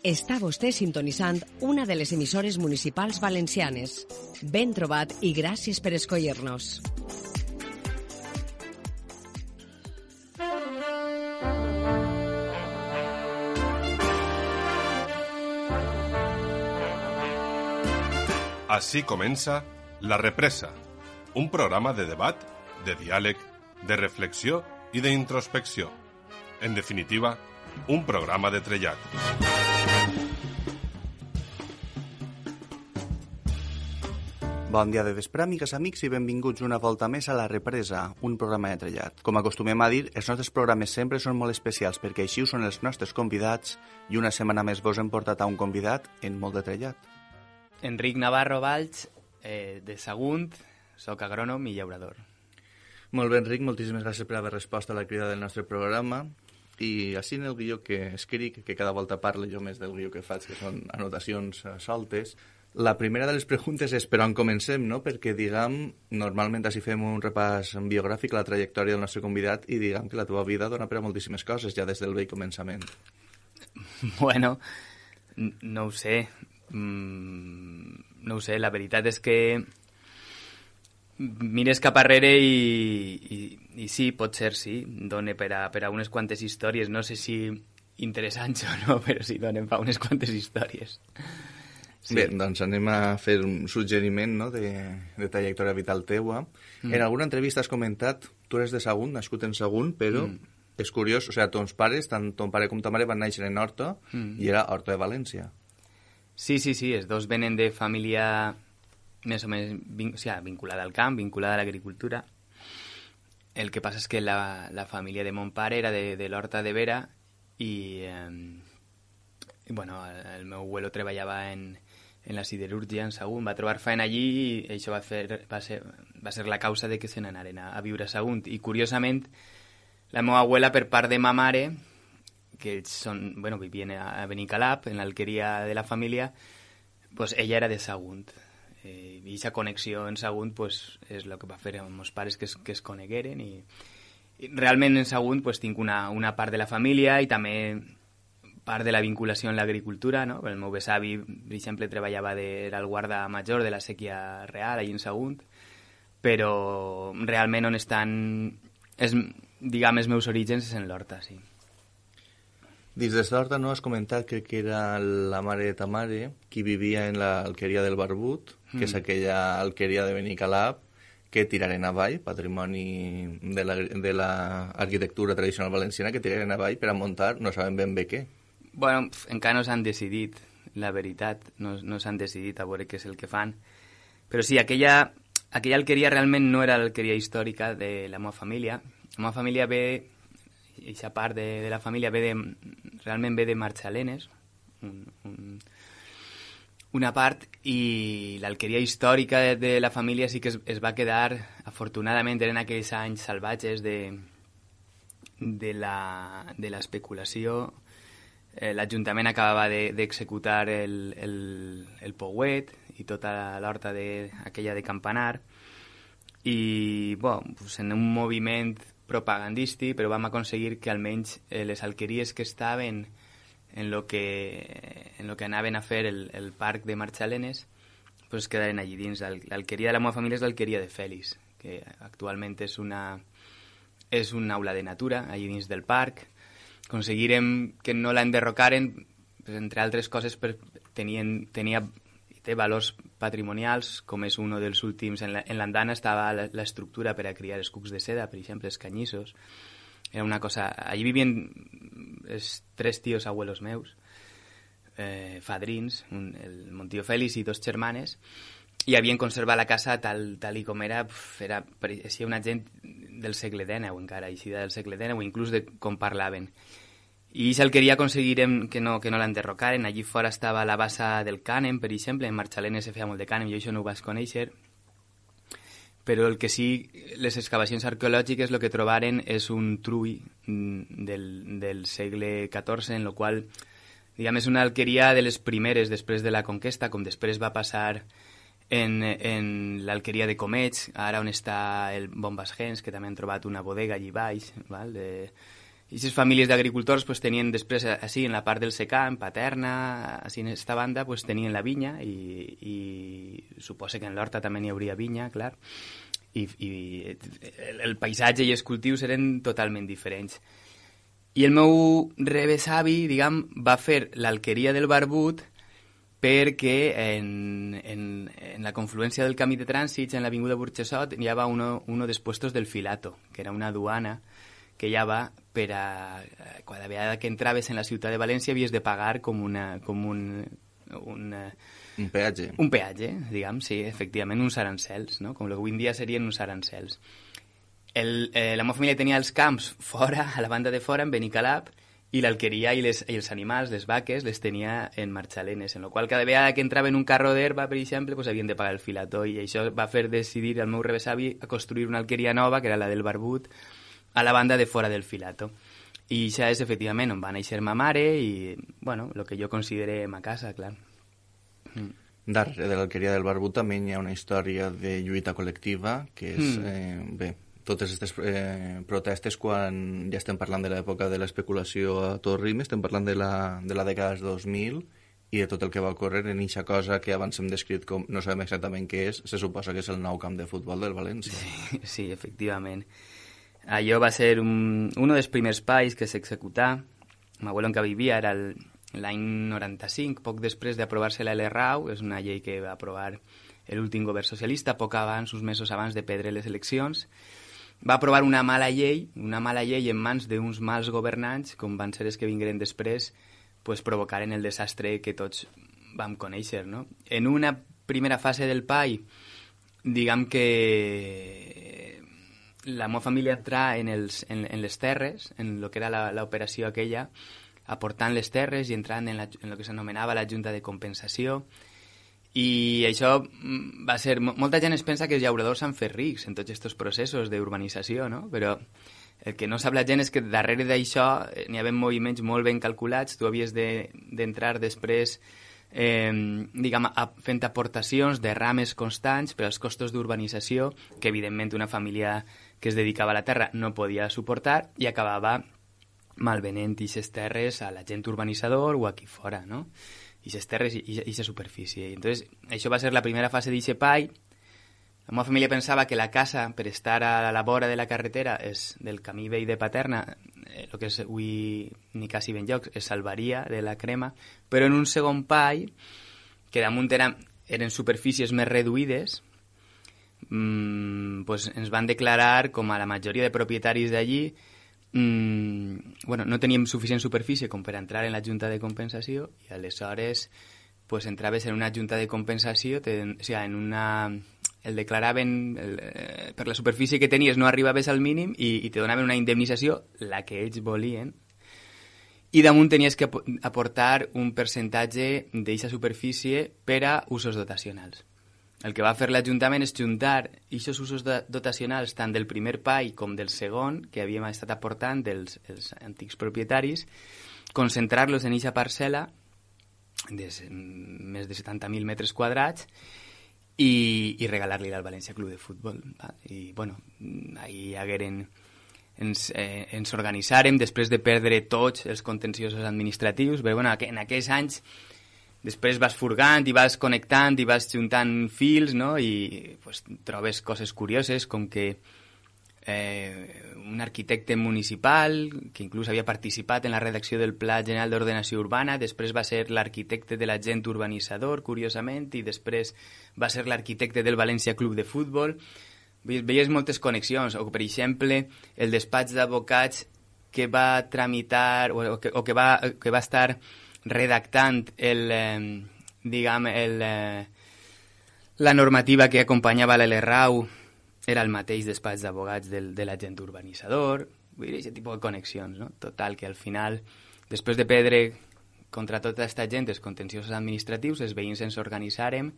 Està vostè sintonitzant una de les emissores municipals valencianes. Ben trobat i gràcies per escollir-nos. Així comença La Represa, un programa de debat, de diàleg, de reflexió i d'introspecció. En definitiva, un programa de trellat. Bon dia de vespre, amigues, amics, i benvinguts una volta més a La Represa, un programa de trellat. Com acostumem a dir, els nostres programes sempre són molt especials perquè així ho són els nostres convidats i una setmana més vos hem portat a un convidat en molt de trellat. Enric Navarro Valls, de Sagunt, soc agrònom i llaurador. Molt bé, Enric, moltíssimes gràcies per haver respost a la crida del nostre programa. I així en el guió que escric, que cada volta parlo jo més del guió que faig, que són anotacions soltes, la primera de les preguntes és per on comencem, no? Perquè, diguem, normalment així fem un repàs biogràfic a la trajectòria del nostre convidat i diguem que la teva vida dona per a moltíssimes coses, ja des del vell començament. Bueno, no ho sé. No ho sé, la veritat és que mires cap arrere i sí, pot ser, sí, dona per a unes quantes històries, no sé si interessants o no, però sí, donen per unes quantes històries. Sí. Bé, doncs anem a fer un suggeriment, no?, de trajectòria vital teua. En alguna entrevista has comentat, tu eres de Sagunt, nascut en Sagunt, però és curiós, o sigui, tons pares, tant ton pare com ta mare van néixer en Horta i era Horta de València. Sí, els dos venen de família més o menys vinculada al camp, vinculada a l'agricultura. El que passa és que la família de mon pare era de l'Horta de Vera i bueno, el meu abuelo treballava en la siderúrgia en Sagunt, va trobar feina allí i això va ser la causa de que se n'anaren a viure a Sagunt. I curiosament, la meva abuela per part de ma mare, que vivien a Benicalap, en l'alqueria de la família, pues ella era de Sagunt. I aquesta connexió en Sagunt pues, és el que va fer amb meus pares que es conegueren. I realment en Sagunt pues, tinc una part de la família i també part de la vinculació en l'agricultura. No? El meu besavi, per exemple, treballava era el guarda major de la sèquia real, allà en Sagunt, però realment on estan, diguem, els meus orígens és en l'Horta, sí. Dins de l'Horta, no, has comentat que era la mare de ta mare qui vivia en l'alqueria del Barbut, que és aquella alqueria de Benicalap, que tiraren avall, patrimoni de l'arquitectura tradicional valenciana, que tiraren avall per a muntar, no sabem ben bé què. Bueno, encara no s'han decidit, la veritat, no s'han decidit a veure què és el que fan. Però sí, aquella alqueria realment no era l'alqueria històrica de la meva família. La meva família ve... I aquesta part de la família realment ve de Marxalenes, una part, i l'alqueria històrica de la família sí que es va quedar, afortunadament, eren aquells anys salvatges de l'especulació. L'Ajuntament acabava d'executar el Pouet i tota l'horta aquella de Campanar, i pues, en un moviment propagandístic, però vam aconseguir que almenys les alqueries que estaven en lo que anaven a fer el parc de Marxalenes pues quedaren allí dins. L'alqueria de la meva família és l'alqueria de Fèlix, que actualment és una aula de natura allí dins del parc. Aconseguirem que no la enderrocaren, pues, entre altres coses, té valors patrimonials, com és un dels últims. En l'andana estava l'estructura per a criar els cucs de seda, per exemple, els canyissos. Era una cosa... Allí vivien els 3 tios abuelos meus, fadrins, el mon tio Fèlix i 2 germanes, i havien conservat la casa tal i com era. Pareixia una gent del segle XIX encara, així del segle XIX, o inclús de com parlaven. I si el queria aconseguirem que no l'enderrocaren. Allí fora estava la bassa del cànem, per exemple. En Marxalenes se feia molt de cànem, jo això no ho vaig conèixer. Però el que sí, les excavacions arqueològiques el que trobaren és un trull del segle XIV, en el qual, diguem, és una alqueria de les primeres després de la conquesta, com després va passar en l'alqueria de Comets, ara on està el Bombas Gens, que també han trobat una bodega allí baix, val? aquestes famílies d'agricultors pues, tenien després, així, en la part del secà, en Paterna, així en aquesta banda, pues, tenien la vinya i suposa que en l'horta també n'hi hauria vinya, clar, i el paisatge i els cultius eren totalment diferents. I el meu rebesavi, diguem, va fer l'alqueria del Barbut perquè en la confluència del camí de trànsits, en l'avinguda Burxassot, hi havia uno dels puestos del Filato, que era una duana que ja va per a... Cada vegada que entraves en la ciutat de València havies de pagar com un peatge. Un peatge, diguem, sí, efectivament, uns arancels, no? Com avui en dia serien uns arancels. La meva família tenia els camps fora, a la banda de fora, en Benicalap, i l'alqueria i els animals, les vaques, les tenia en Marxalenes, en la qual cada vegada que entrava en un carro d'herba, per exemple, pues, havien de pagar el Filato, i això va fer decidir al meu rebesavi a construir una alqueria nova, que era la del Barbut, a la banda de fora del Filato. I això és, efectivament, on va néixer ma mare i, bueno, el que jo considere ma casa, clar. Darrere de l'alqueria del Barbut també hi ha una història de lluita col·lectiva, que és, bé, totes aquestes protestes, quan ja estem parlant de l'època de l'especulació a tot ritme, estem parlant de la dècada dels 2000 i de tot el que va ocórrer en aquesta cosa que abans hem descrit com no sabem exactament què és, se suposa que és el nou camp de futbol del València. Sí, efectivament. Allò va ser un dels primers pais que s'executà. M'abuelo en què vivia era l'any 95, poc després d'aprovar-se la LRAU, és una llei que va aprovar l'últim govern socialista, poc abans, uns mesos abans de perdre les eleccions. Va aprovar una mala llei en mans d'uns mals governants, com van ser els que vingueren després, pues, provocaren el desastre que tots vam conèixer, no? En una primera fase del PAI, diguem que la meva família entrà en les terres, en el que era l'operació aquella, aportant les terres i entrant en el que s'anomenava la Junta de Compensació. I això va ser... Molta gent es pensa que els llauradors s'han fet rics en tots aquests processos d'urbanització, no? Però el que no sap la gent és que darrere d'això n'hi havia moviments molt ben calculats. Tu havies d'entrar després diguem, fent aportacions de rames constants per als costos d'urbanització que evidentment una família que es dedicava a la terra no podia suportar i acabava malvenent aquestes terres a l'agent urbanitzador o aquí fora, no? Aquestes terres i aquesta superfície. Entonces, això va ser la primera fase d'aquest PAI. La meva família pensava que la casa, per estar a la vora de la carretera, del camí vell de Paterna, el que és avui ni quasi ben llocs, es salvaria de la crema, però en un segon PAI, que damunt eren superfícies més reduïdes, pues ens van declarar, com a la majoria de propietaris d'allí, bueno, no teníem suficient superfície com per entrar en la Junta de Compensació i aleshores pues, entraves en una Junta de Compensació, o sigui, el declaraven per la superfície que tenies no arribaves al mínim i te donaven una indemnització, la que ells volien, i damunt tenies que aportar un percentatge d'aquesta superfície per a usos dotacionals. El que va fer l'Ajuntament és juntar aquests usos dotacionals tant del primer PAI com del segon, que havíem estat aportant dels antics propietaris, concentrar-los en aquesta parcel·la de més de 70.000 metres quadrats i regalar-li al València Club de Futbol. I, bueno, ahí hagueren... Ens organitzàrem després de perdre tots els contenciosos administratius, però bueno, en aquells anys després vas furgant i vas connectant i vas juntant fils, no? I pues, trobes coses curioses com que un arquitecte municipal que inclús havia participat en la redacció del Pla General d'Ordenació Urbana, després va ser l'arquitecte de l'agent urbanitzador, curiosament, i després va ser l'arquitecte del València Club de Futbol. Veies moltes connexions, o per exemple el despatx d'advocats que va tramitar o que va estar redactant la normativa que acompanyava la LRAU era el mateix despatx d'advocats de l'agent urbanitzador. Vull dir, aquest tipus de connexions, no? Total, que al final, després de perdre contra tota aquesta gent els contenciosos administratius, els veïns ens organitzàrem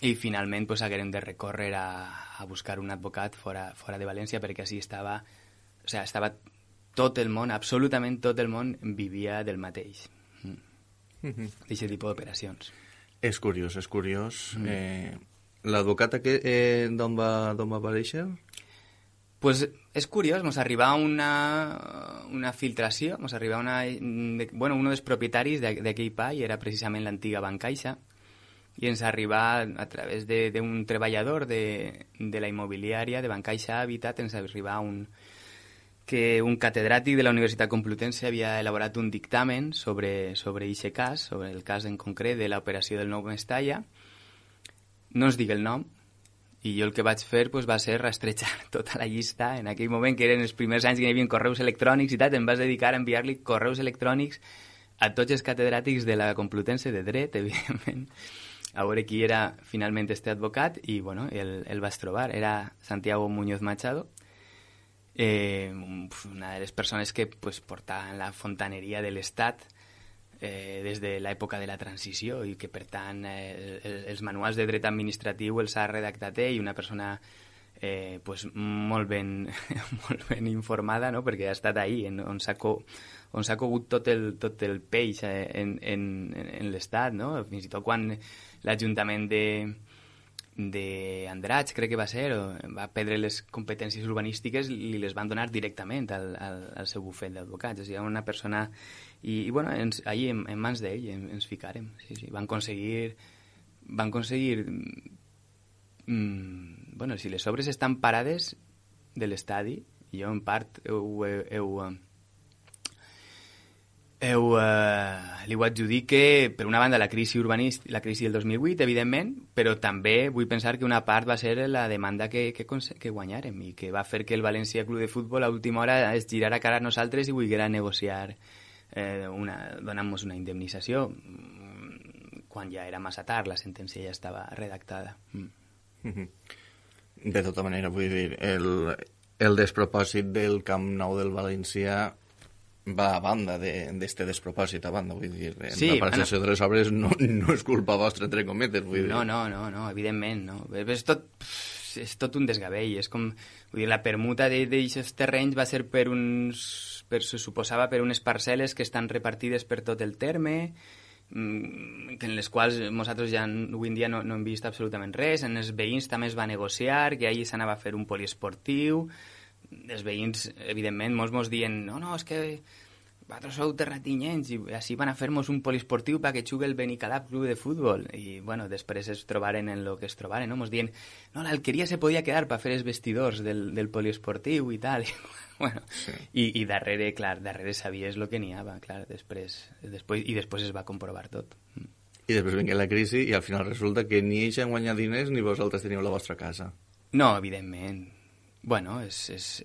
i finalment pues, haguérem de recórrer a buscar un advocat fora de València perquè així estava tot el món, absolutament tot el món vivia del mateix. D'aquest tipus d'operacions. És curiós. L'advocat d'on va aparèixer? Pues és curiós, ens arriba una filtració, ens arriba uno dels propietaris d'aquell pall era precisament l'antiga Bancaixa, i ens arriba a través d'un treballador de la immobiliària de Bancaixa Habitat, ens arriba que un catedràtic de la Universitat Complutense havia elaborat un dictamen sobre aquest cas, sobre el cas en concret de l'operació del Nou Mestalla. No ens dic el nom, i jo el que vaig fer va ser rastrejar tota la llista. En aquell moment, que eren els primers anys que hi havia correus electrònics i tal, em vas dedicar a enviar-li correus electrònics a tots els catedràtics de la Complutense de Dret, evidentment, a veure qui era finalment este advocat, i bueno, el vaig trobar. Era Santiago Muñoz Machado, una de les persones que portaven la fontaneria de l'Estat des de l'època de la transició, i que per tant els manuals de dret administratiu els ha redactat ell, una persona molt ben informada, no? Perquè ha estat ahí on s'ha cogut tot el peix en l'Estat, no? Fins i tot quan l'Ajuntament d'Andratx, crec que va ser, va perdre les competències urbanístiques, li les van donar directament al seu bufet d'advocats. O sigui, una persona... I bueno, ahí en mans d'ell ens ficarem. Sí. Van aconseguir... Bueno, si les obres estan parades de l'estadi, jo en part li ho adjudique, per una banda, la crisi urbanística, la crisi del 2008, evidentment, però també vull pensar que una part va ser la demanda que guanyarem, i que va fer que el València Club de Futbol a última hora es girara cara a nosaltres i volguera negociar donant-nos una indemnització quan ja era massa tard, la sentència ja estava redactada. De tota manera, vull dir, el despropòsit del Camp Nou del València va a banda d'este despropòsit, a banda, vull dir, la paralització de les obres no és culpa vostra, entre cometes, vull dir. No, evidentment, no. És tot un desgavell, és com, vull dir, la permuta d'aquests terrenys va ser se suposava per unes parcel·les que estan repartides per tot el terme, en les quals nosaltres ja avui en dia no hem vist absolutament res. En els veïns també es va negociar que allí s'anava a fer un poliesportiu. Els veïns, evidentment, molts dient no, és que vosaltres sou terratinyencs i així van a fer-nos un poliesportiu perquè jugui el Benicalap Club de Futbol. I bueno, després es trobaren en el que es trobaren, no? Mos dient, no, l'Alqueria se podia quedar per fer els vestidors del poliesportiu i tal. Bueno, sí. I darrere sabies el que n'hi havia, clar, després es va comprovar tot. I després vingué la crisi i al final resulta que ni ells han guanyat diners ni vosaltres teniu la vostra casa. No, evidentment. Bueno, és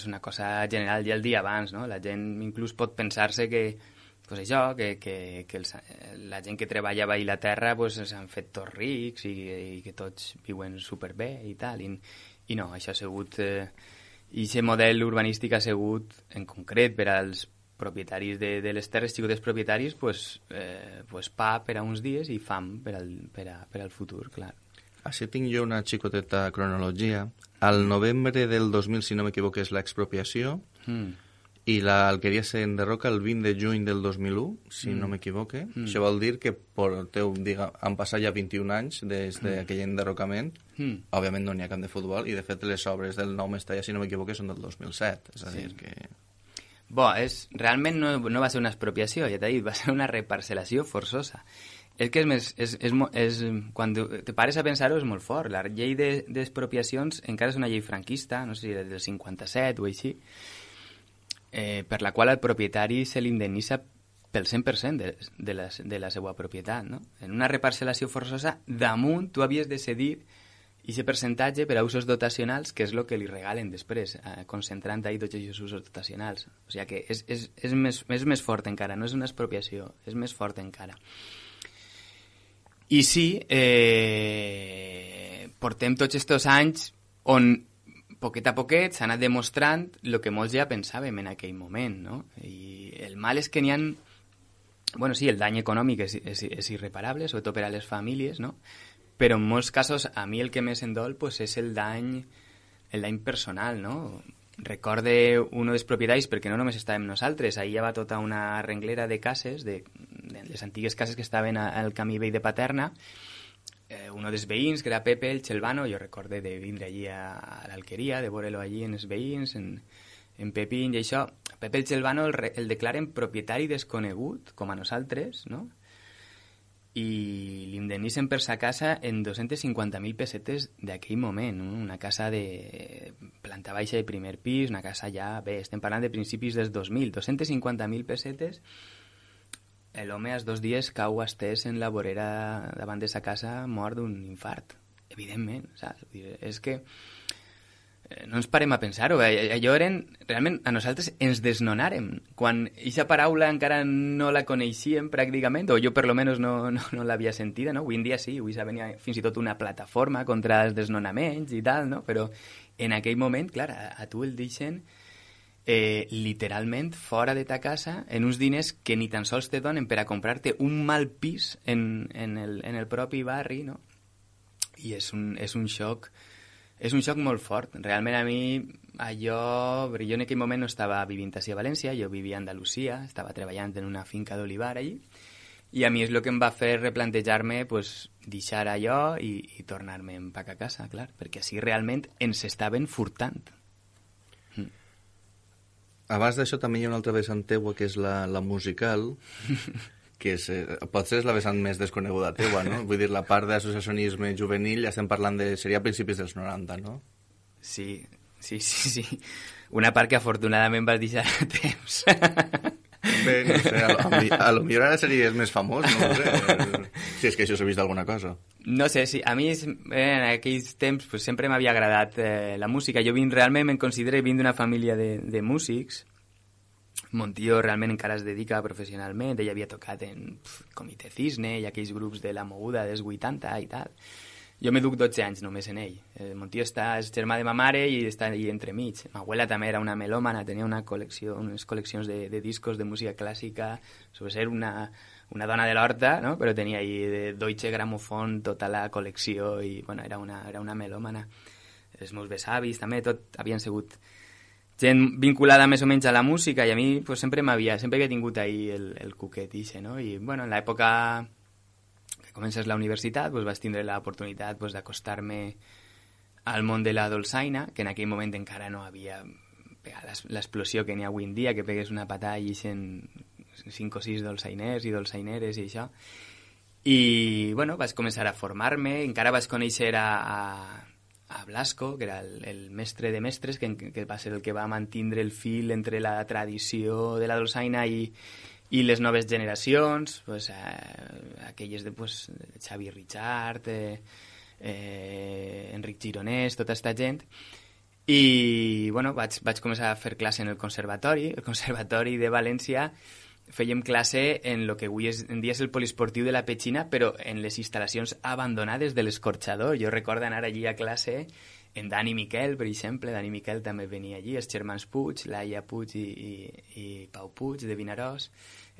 una cosa general ja el dia abans, no? La gent inclús pot pensar-se que la gent que treballa a la terra s'han fet tots rics i que tots viuen superbé i tal. I no, això ha sigut... I aquest model urbanístic ha sigut, en concret, per als propietaris de les terres, xicotes propietaris, pa per a uns dies i fam per al futur, clar. Així tinc jo una xicoteta cronologia. Al novembre del 2000, si no m'equivoco, és l'expropiació, i l'Alqueria s'enderroca el 20 de juny del 2001, si no m'equivoco. Això vol dir que han passat ja 21 anys des d'aquell enderrocament. Òbviament no n'hi ha camp de futbol, i de fet les obres del Nou Mestalla, si no m'equivoco, són del 2007. És a dir que... Realment no va ser una expropiació, ja t'he dit, va ser una reparcel·lació forçosa. És que quan te pares a pensar-ho és molt fort. La llei d'expropiacions encara és una llei franquista, no sé si del 57 o així, per la qual al propietari se l'indemnitza pel 100% de la seva propietat, no? En una reparcel·lació forçosa, damunt tu havies de cedir aquest percentatge per a usos dotacionals, que és el que li regalen després, concentrant ahí tots aquests usos dotacionals. O sigui que és més fort encara, no és una expropiació, és més fort encara. I sí, portem tots aquests anys on poquet a poquet s'ha anat demostrant el que molts ja pensàvem en aquell moment, no? I el mal és que n'hi ha... Bueno, sí, el dany econòmic és irreparable, sobretot per a les famílies, no? Però en molts casos a mi el que més em dol és el dany personal, no? Recorde un dels propietaris, perquè no només estàvem nosaltres, ahir hi havia tota una renglera de cases, de les antigues cases que estaven al camí vell de Paterna, uno dels veïns, que era Pepe el Chelvano, jo recorde de vindre allí a l'Alqueria, de veure-lo allí en els veïns, en Pepín i això. Pepe el Chelvano el declaren propietari desconegut, com a nosaltres, no? I l'indemnitzen per sa casa en 250.000 pessetes d'aquell moment, no? Una casa de planta baixa de primer pis, una casa ja... Bé, estem parlant de principis dels 2000, 250.000 pessetes. L'home als 2 dies cau estès en la vorera davant de sa casa mort d'un infart, evidentment, saps? És que no ens parem a pensar-ho. Allò eren... Realment, a nosaltres ens desnonàrem. Quan aquesta paraula encara no la coneixíem pràcticament, o jo per lo menos no l'havia sentida, no? Avui en dia sí, avui s'ha venit fins i tot una plataforma contra els desnonaments i tal, no? Però en aquell moment, clar, a tu el deixen literalment fora de ta casa en uns diners que ni tan sols te donen per a comprar-te un mal pis en el propi barri, no? I és un xoc molt fort. Realment a mi allò... Jo en aquell moment no estava vivint a València, jo vivia a Andalusia, estava treballant en una finca d'olivar allí, i a mi és el que em va fer replantejar-me pues, deixar allò i tornar-me a casa, clar, perquè així realment ens estaven furtant. Abans d'això també hi ha una altra vessant teua, que és la musical, que potser és la vessant més desconeguda teua, no? Vull dir, la part d'associacionisme juvenil ja estem parlant seria a principis dels 90, no? Sí. Una part que afortunadament vas deixar a temps. Bé, no sé, a lo millor ara series més famós, no sé, si és que això s'ha vist alguna cosa. No sé, sí, a mi en aquells temps pues, sempre m'havia agradat la música. Jo realment em considero d'una família de músics. Mon tio realment encara es dedica professionalment, ell havia tocat en Comitè Cisne i aquells grups de la moguda dels 80 i tal. Jo me duc 12 anys només en ell. Mon tio és germà de ma mare i està allà entremig. Ma abuela també era una melòmana, tenia unes col·leccions de discos de música clàssica, sobre ser una dona de l'horta, no? Però tenia ahí de Deutsche Grammophon tota la col·lecció i bueno, era una melòmana. Els meus besavis també, tot havien sigut gent vinculada més o menys a la música i a mi pues, sempre havia tingut ahí el cuquet ixe, no? I bueno, en l'època que comences la universitat pues, vaig tindre l'oportunitat pues, d'acostar-me al món de la dolçaina, que en aquell moment encara no havia pegat l'explosió que n'hi ha avui en dia, que pegues una patada i eixen 5 o 6 dolçainers i dolçaineres i això. I bueno, vaig començar a formar-me, encara vaig conèixer a Blasco, que era el mestre de mestres, que va ser el que va mantindre el fil entre la tradició de la dolçaina i les noves generacions, pues, aquelles de pues, Xavi Richard, Enric Gironès, tota aquesta gent. I bueno, vaig començar a fer classe en el Conservatori de València. Fèiem classe en el que avui en dia és el poliesportiu de la Petxina, però en les instal·lacions abandonades de l'Escorxador. Jo recordo anar allí a classe en Dani Miquel, per exemple. Dani Miquel també venia allí, els germans Puig, Laia Puig i Pau Puig, de Vinaròs.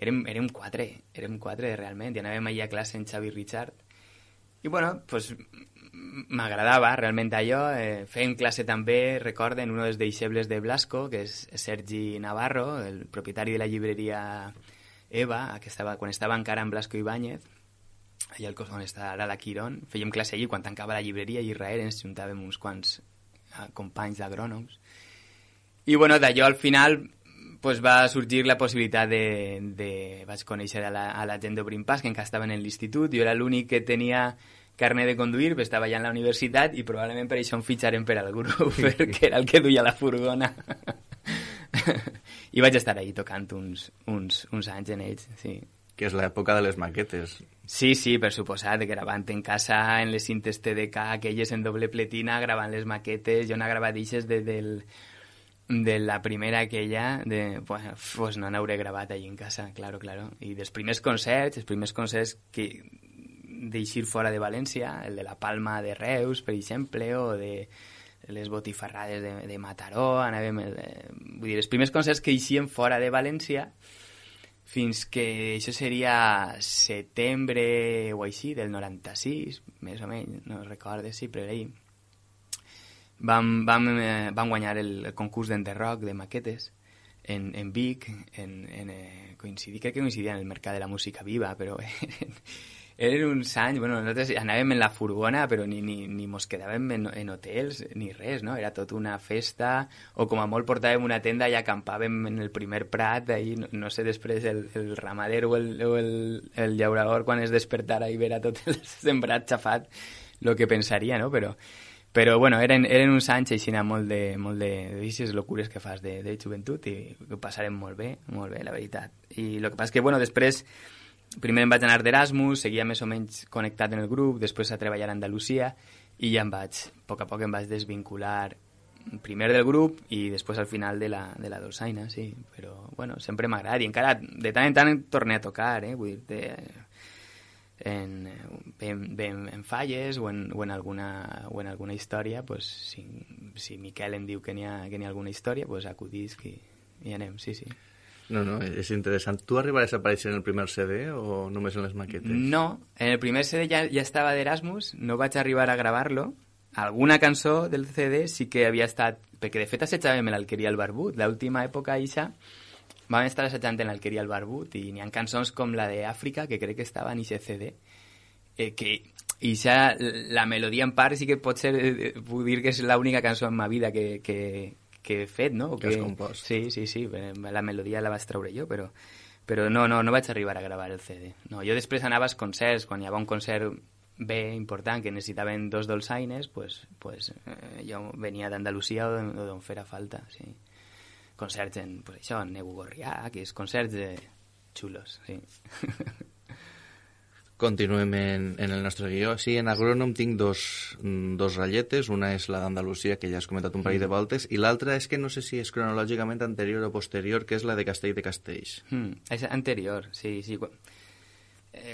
Érem quatre realment, i anàvem allí a classe en Xavi Richard. I bueno, pues, m'agradava realment allò. Fèiem classe també, recorden, un dels deixebles de Blasco, que és Sergi Navarro, el propietari de la llibreria Eva, quan estava encara en Blasco Ibáñez, allà al costat on està ara la Quirón. Fèiem classe allí, quan tancava la llibreria i Israel ens juntàvem uns quants companys d'agrònoms. I bueno, d'allò al final pues, va sorgir la possibilitat vaig conèixer a la gent d'Obrim Pas, que encara estaven en l'institut. Jo era l'únic que tenia carnet de conduir, però estava ja en la universitat i probablement per això em fitxaren per al grup, perquè era el que duia la furgona. I vaig estar ahí tocant uns anys en ells, sí. Que és l'època de les maquetes. Sí, per suposat, gravant en casa en les cintes TDK, aquelles en doble pletina, gravant les maquetes. Jo n'he gravat eixes de la primera aquella, pues no n'hauré gravat allí en casa, claro. I dels primers concerts que d'eixir fora de València, el de la Palma de Reus, per exemple, o de les botifarrades de Mataró, vull dir, els primers concerts que eixien fora de València, fins que això seria setembre o així, del 96, més o menys, no recordo, sí, però ahir vam guanyar el concurs d'enderroc de maquetes en Vic, crec que coincidia en el Mercat de la Música Viva, però eren uns anys, bueno, nosaltres anàvem en la furgona, però ni mos quedàvem en hotels ni res, no? Era tot una festa, o com a molt portàvem una tenda i acampàvem en el primer prat, ahí, no sé, després el ramader o el llaurador quan es despertara i vera tot el sembrat xafat, el que pensaria, no? Però bueno, eren uns anys així molt d'aixes locures que fas de joventut i ho passarem molt bé, la veritat. I el que passa és que, bueno, després, primer em vaig anar d'Erasmus, seguia més o menys connectat en el grup, després a treballar a Andalusia i ja a poc a poc em vaig desvincular primer del grup i després al final de la dolçaina, sí. Però, bueno, sempre m'ha agradat i encara de tant en tant torné a tocar, vull dir, en falles o en alguna història, pues, si Miquel em diu que n'hi ha alguna història, pues acudisc i anem, sí. No, és interessant. Tu arribaràs a aparèixer en el primer CD o només en les maquetes? No, en el primer CD ja estava d'Erasmus, no vaig arribar a gravar-lo. Alguna cançó del CD sí que havia estat... Perquè, de fet, assetjàvem l'Alqueria al Barbut. L'última època, Ixa, vam estar assajant en l'Alqueria al Barbut i n'hi ha cançons com la d'Àfrica, que crec que estava en aquest CD, que Ixa, la melodia en part sí que pot ser... Puc dir que és l'única cançó en ma vida que he fet, no? Que has compost. Sí, la melodia la vaig treure jo, però no vaig arribar a gravar el CD. No, jo després anava als concerts, quan hi havia un concert bé important que necessitaven 2 dolçaines, pues jo venia d'Andalusia o d'on fera falta, sí. Concerts en, pues això, en Negu Gorrià, que és concerts xulos, sí. Continuem en el nostre guió. Sí, en Agrònom tinc dos ratlletes. Una és la d'Andalusia, que ja has comentat un parell de voltes, i l'altra és que no sé si és cronològicament anterior o posterior, que és la de Castell de Castells. És anterior, sí.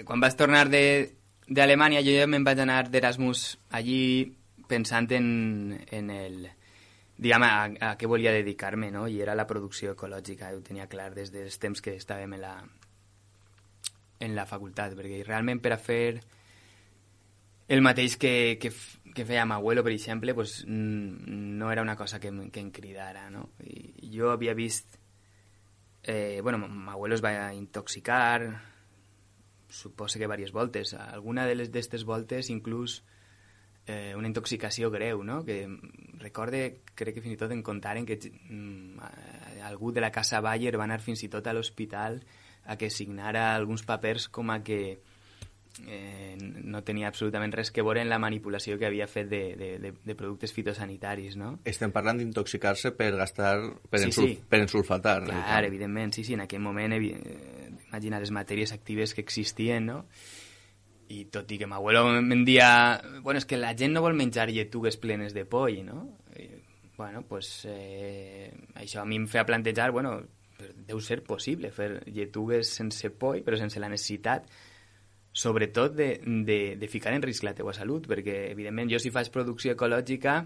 Quan vas tornar d'Alemanya, jo ja me'n vaig anar d'Erasmus allí pensant en el... diguem, a què volia dedicar-me, no? I era la producció ecològica, ho tenia clar des dels temps que estàvem en la facultat, perquè realment per a fer el mateix que feia m'abuelo, per exemple, pues, no era una cosa que em cridara, no? I jo havia vist... m'abuelo es va intoxicar, suposo que diverses voltes. Alguna d'aquestes voltes, inclús una intoxicació greu, no? Que recorde, crec que fins i tot em contaren que algú de la Casa Bayer va anar fins i tot a l'hospital a que signara alguns papers com a que no tenia absolutament res que veure en la manipulació que havia fet de productes fitosanitaris, no? Estem parlant d'intoxicar-se per gastar, per ensulfatar. Clar, evidentment, sí, en aquell moment, imagina les matèries actives que existien, no? I tot i que m'abuelo em dia... Bueno, és que la gent no vol menjar lletugues plenes de poll, no? I, bueno, pues això a mi em feia plantejar, bueno, deu ser possible fer lletugues sense poll, però sense la necessitat, sobretot, de ficar en risc la teua salut, perquè, evidentment, jo si faig producció ecològica,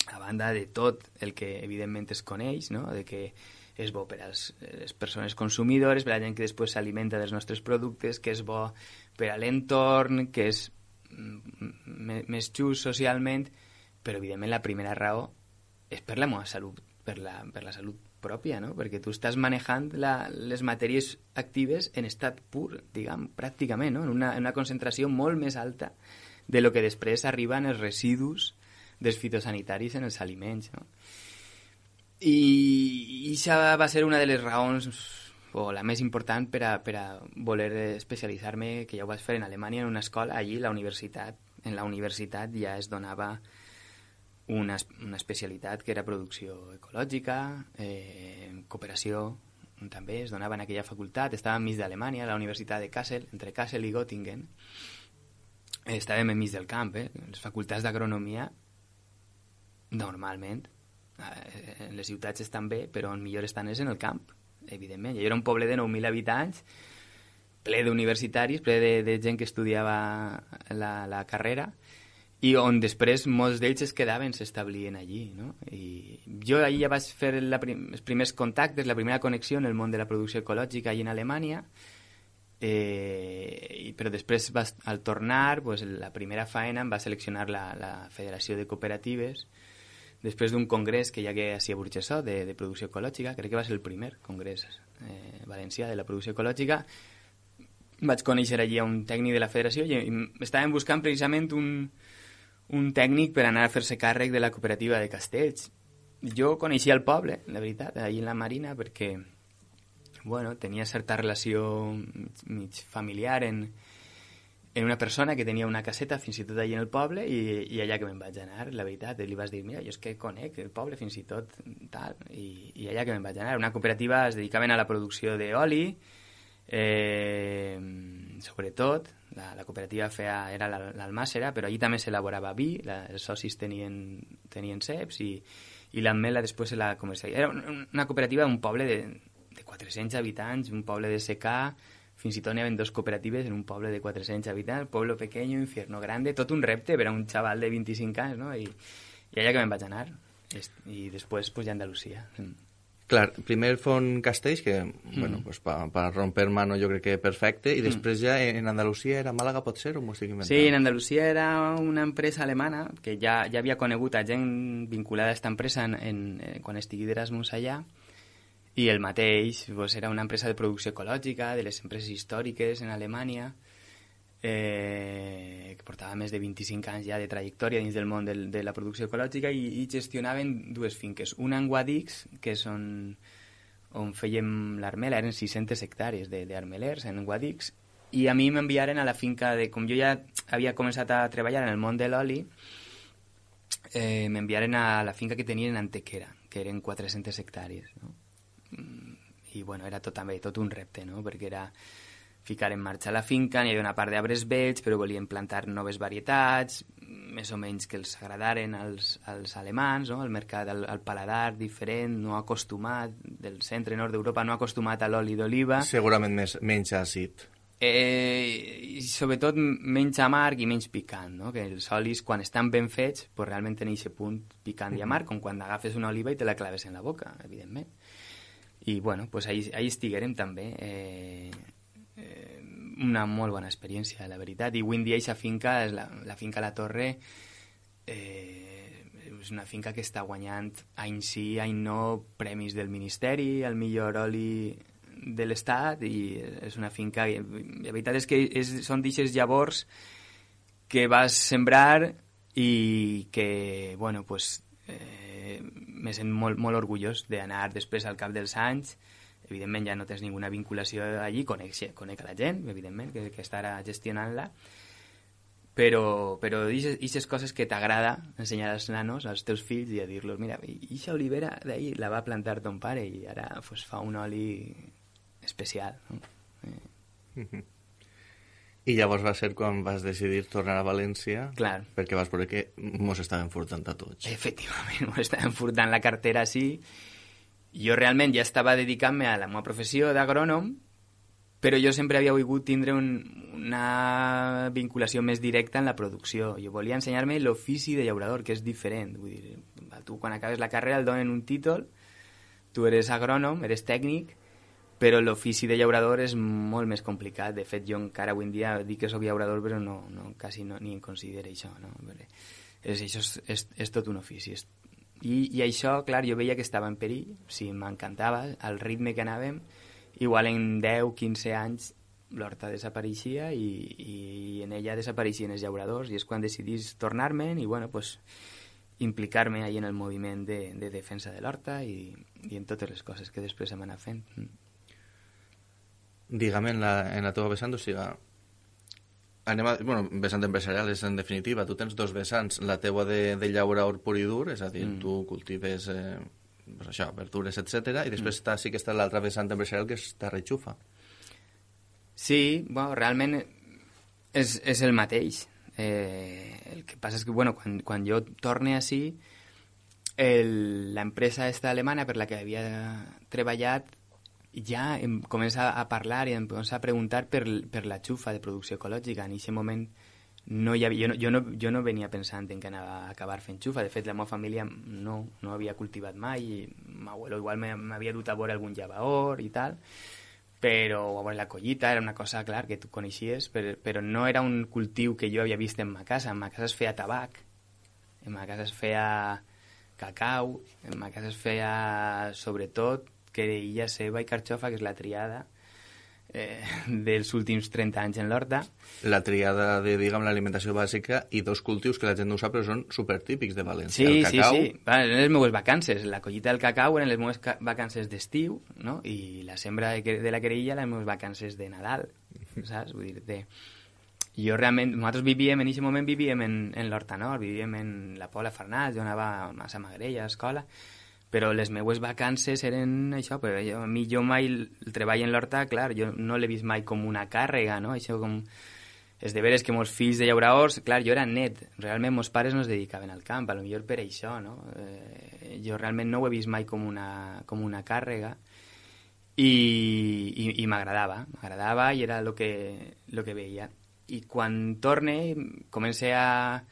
a banda de tot el que, evidentment, es coneix, no?, de que és bo per a les persones consumidores, per a la gent que després s'alimenta dels nostres productes, que és bo per a l'entorn, que és més just socialment, però, evidentment, la primera raó és per la meva salut, per la salut pròpia, no? Perquè tu estàs manejant les matèries actives en estat pur, diguem, pràcticament, no? En una concentració molt més alta de lo que després arriben els residus dels fitosanitaris en els aliments, no? I això va ser una de les raons, o la més important, per a voler especialitzar-me, que ja ho vaig fer en Alemanya, en una escola. Allí, en la universitat ja es donava una especialitat que era producció ecològica, cooperació també es donava en aquella facultat. Estàvem enmig d'Alemanya, a la Universitat de Kassel, entre Kassel i Göttingen. Estàvem enmig del camp, les facultats d'agronomia, normalment, en les ciutats estan bé, però on millor estan és en el camp, evidentment. Jo era un poble de 9.000 habitants, ple d'universitaris, ple de gent que estudiava la carrera, i on després molts d'ells es quedaven, s'establien allí, no? I jo allí ja vaig fer els primers contactes, la primera connexió en el món de la producció ecològica allí en Alemanya, però després, al tornar, pues, la primera faena em va seleccionar la Federació de Cooperatives, després d'un congrés que hi hagué a Burjassot de producció ecològica. Crec que va ser el primer congrés valencià de la producció ecològica, vaig conèixer allí a un tècnic de la federació i estàvem buscant precisament un tècnic per anar a fer-se càrrec de la cooperativa de Castells. Jo coneixia el poble, la veritat, allí en la Marina, perquè bueno, tenia certa relació mig familiar en una persona que tenia una caseta fins i tot allà en el poble i allà que me'n vaig anar, la veritat, li vas dir, mira, jo és que conec el poble fins i tot tal, i allà que me'n vaig anar. Una cooperativa es dedicaven a la producció d'oli, sobretot, la cooperativa era l'Almàssera, però allí també s'elaborava vi, els socis tenien ceps i l'ametla després se la comercialitzava. Era una cooperativa d'un poble de 400 habitants, un poble de secà. Fins i tot n'hi havia 2 cooperatives en un poble de 400 habitants, pueblo pequeño, infierno grande, tot un repte per a un xaval de 25 anys, no? I allà que me'n vaig anar. I després, pues, ja a Andalusia. Clar, primer Font Castells, que, bueno, pues, para romper mano jo crec que perfecte, i després ja en Andalusia era Màlaga, pot ser, o m'ho estic inventant? Sí, en Andalusia era una empresa alemana que ja havia conegut a gent vinculada a aquesta empresa quan estigui d'Erasmus allà, i el mateix, pues, era una empresa de producció ecològica, de les empreses històriques en Alemanya, que portava més de 25 anys ja de trajectòria dins del món de la producció ecològica i gestionaven 2 finques. Una en Guadix, que és on fèiem l'armela, eren 600 hectàrees d'armelers en Guadix, i a mi m'enviaren a la finca com jo ja havia començat a treballar en el món de l'oli, m'enviaren a la finca que tenien en Antequera, que eren 400 hectàrees, no? I bueno, era tot un repte, no? Perquè era ficar en marxa la finca, n'hi havia una part d'arbres vells, però volien plantar noves varietats, més o menys que els agradaren als alemans, no? El mercat, al paladar diferent, no acostumat, del centre-nord d'Europa, no acostumat a l'oli d'oliva. Segurament menys àcid. I sobretot menys amarg i menys picant, no? Que els olis, quan estan ben fets, pues realment tenen aquest punt picant i amarg, com quan agafes una oliva i te la claves en la boca, evidentment. I, bueno, pues ahí estiguérem també. Una molt bona experiència, la veritat. I avui en dia aquesta finca, la finca La Torre, és una finca que està guanyant any sí, any no, premis del Ministeri, el millor oli de l'Estat, i és una finca... La veritat és que són d'aixes llavors que vas sembrar i que, bueno, pues... me sent molt, molt orgullós d'anar després al cap dels anys. Evidentment ja no tens ninguna vinculació allí, conec a la gent, evidentment, que estarà gestionant-la, però aquestes coses que t'agrada ensenyar als nanos, als teus fills, i a dir-los, mira, aquesta olivera d'ahir la va plantar ton pare i ara pues, fa un oli especial, no? I llavors va ser quan vas decidir tornar a València. Clar. Perquè vas veure que mos estaven furtant a tots. Efectivament, mos estaven furtant la cartera, sí. Jo realment ja estava dedicant-me a la meva professió d'agrònom, però jo sempre havia volgut tindre una vinculació més directa en la producció. Jo volia ensenyar-me l'ofici de llaurador, que és diferent. Vull dir, tu quan acabes la carrera et donen un títol, tu eres agrònom, eres tècnic, però l'ofici de llaurador és molt més complicat. De fet, jo encara avui en dia dic que soc llaurador, però quasi ni em considero això, no? Això és tot un ofici. I això, clar, jo veia que estava en perill, sí, m'encantava, al ritme que anàvem, igual en 10-15 anys l'horta desapareixia i en ella desapareixien els llauradors, i és quan decidís tornar-me'n i, bueno, pues, implicar-me ahí en el moviment de defensa de l'horta i en totes les coses que després hem anat fent. Digue'm, en la teva vessant, o sigui, vessant empresarial és en definitiva, tu tens 2 vessants, la teua de llaurador pur i dur, és a dir, tu cultives pues això, verdures, etc. I després sí que està l'altra vessant empresarial, que és terra i xufa. Sí, bueno, realment és el mateix. El que passa és que, bueno, quan jo torne així, l'empresa esta alemana per la que havia treballat ja em comença a parlar i em comença a preguntar per la xufa de producció ecològica. En aquest moment jo no venia pensant en que anava a acabar fent xufa. De fet, la meva família no havia cultivat mai, i l'abuelo igual m'havia dut a veure algun llavaor i tal, però a veure la collita era una cosa, clar, que tu coneixies, però no era un cultiu que jo havia vist en ma casa. En ma casa es feia tabac, en ma casa es feia cacau, en ma casa es feia sobretot querella, ceba i carxofa, que és la triada dels últims 30 anys en l'horta. La triada de, diguem, l'alimentació bàsica i dos cultius que la gent no ho sap, però són supertípics de València. Sí, el cacau... sí. Eren les meves vacances. La collita del cacau eren les meves vacances d'estiu, no? I la sembra de la querella les meves vacances de Nadal, saps? Vull dir-te... Jo realment... Nosaltres vivíem, en aquest moment vivíem en l'Horta Nord, vivíem en la Pobla Farnals, jo anava a la Magrella, a escola, però les meues vacances eren això, però jo mai el treball en l'horta, clar, jo no l'he vist mai com una càrrega, no? Això com... És de veres que molts fills de llauradors, clar, jo era net, realment meus pares no es dedicaven al camp, potser per això, no? Jo realment no ho he vist mai com una càrrega i m'agradava i era el que veia. I quan torne comencé a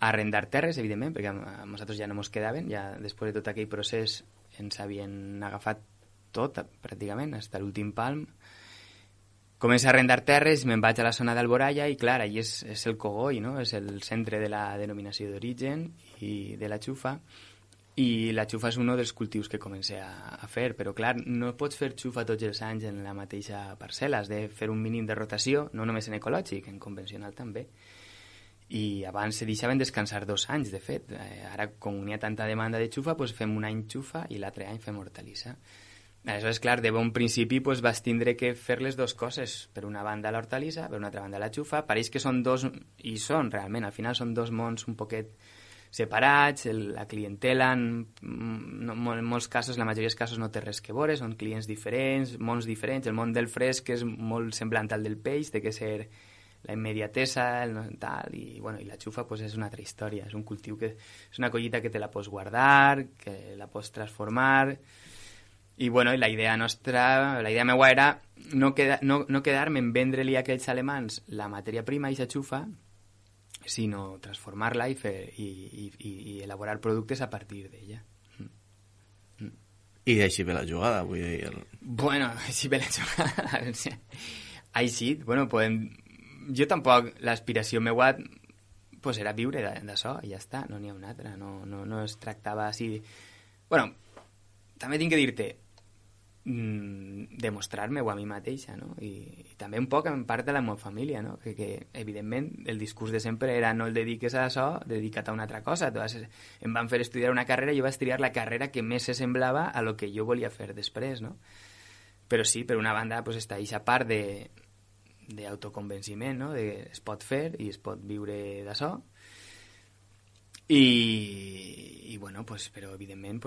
arrendar terres, evidentment, perquè a nosaltres ja no ens quedaven, ja després de tot aquell procés ens havien agafat tot, pràcticament, fins a l'últim palm. Començo a arrendar terres, me'n vaig a la zona d'Alboraya i, clar, allí és el cogoi, no? És el centre de la denominació d'origen i de la xufa, i la xufa és un dels cultius que comencé a fer, però, clar, no pots fer xufa tots els anys en la mateixa parcel·la, has de fer un mínim de rotació, no només en ecològic, en convencional també. I abans se deixaven descansar 2 anys, de fet. Ara, com n'hi ha tanta demanda de xufa, doncs fem un any xufa i l'altre any fem hortalissa. Aleshores, clar, de bon principi doncs, vas tindre que fer les dues coses. Per una banda l'hortalissa, per una altra banda la xufa. Pareix que són dos, i són realment, al final són dos mons un poquet separats, la clientela en molts casos, la majoria dels casos no té res que veure, són clients diferents, mons diferents. El món del fresc és molt semblant al del peix, té que ser la immediatesa, tal, i la xufa pues, és una altra història, és un cultiu que és una collita que te la pots guardar, que la pots transformar, i la idea meua era no quedar-me en vendre-li a aquells alemans la matèria prima i la xufa, sinó transformar-la i elaborar productes a partir d'ella. I així ve la jugada, vull dir... Així ve la jugada. Així, podem... Jo tampoc, l'aspiració meua pues era viure d'això i ja està, no n'hi ha una altra, no es tractava així... També tinc que dir-te, demostrar-me-ho a mi mateixa, no? I també un poc en part de la meva família, no? Que evidentment el discurs de sempre era no el dediques a això, dedica't a una altra cosa. Em van fer estudiar una carrera i jo vaig triar la carrera que més se semblava a lo que jo volia fer després, no? Però sí, per una banda pues, està aquesta part d'autoconvenciment, no? Es pot fer i es pot viure d'això. I però evidentment,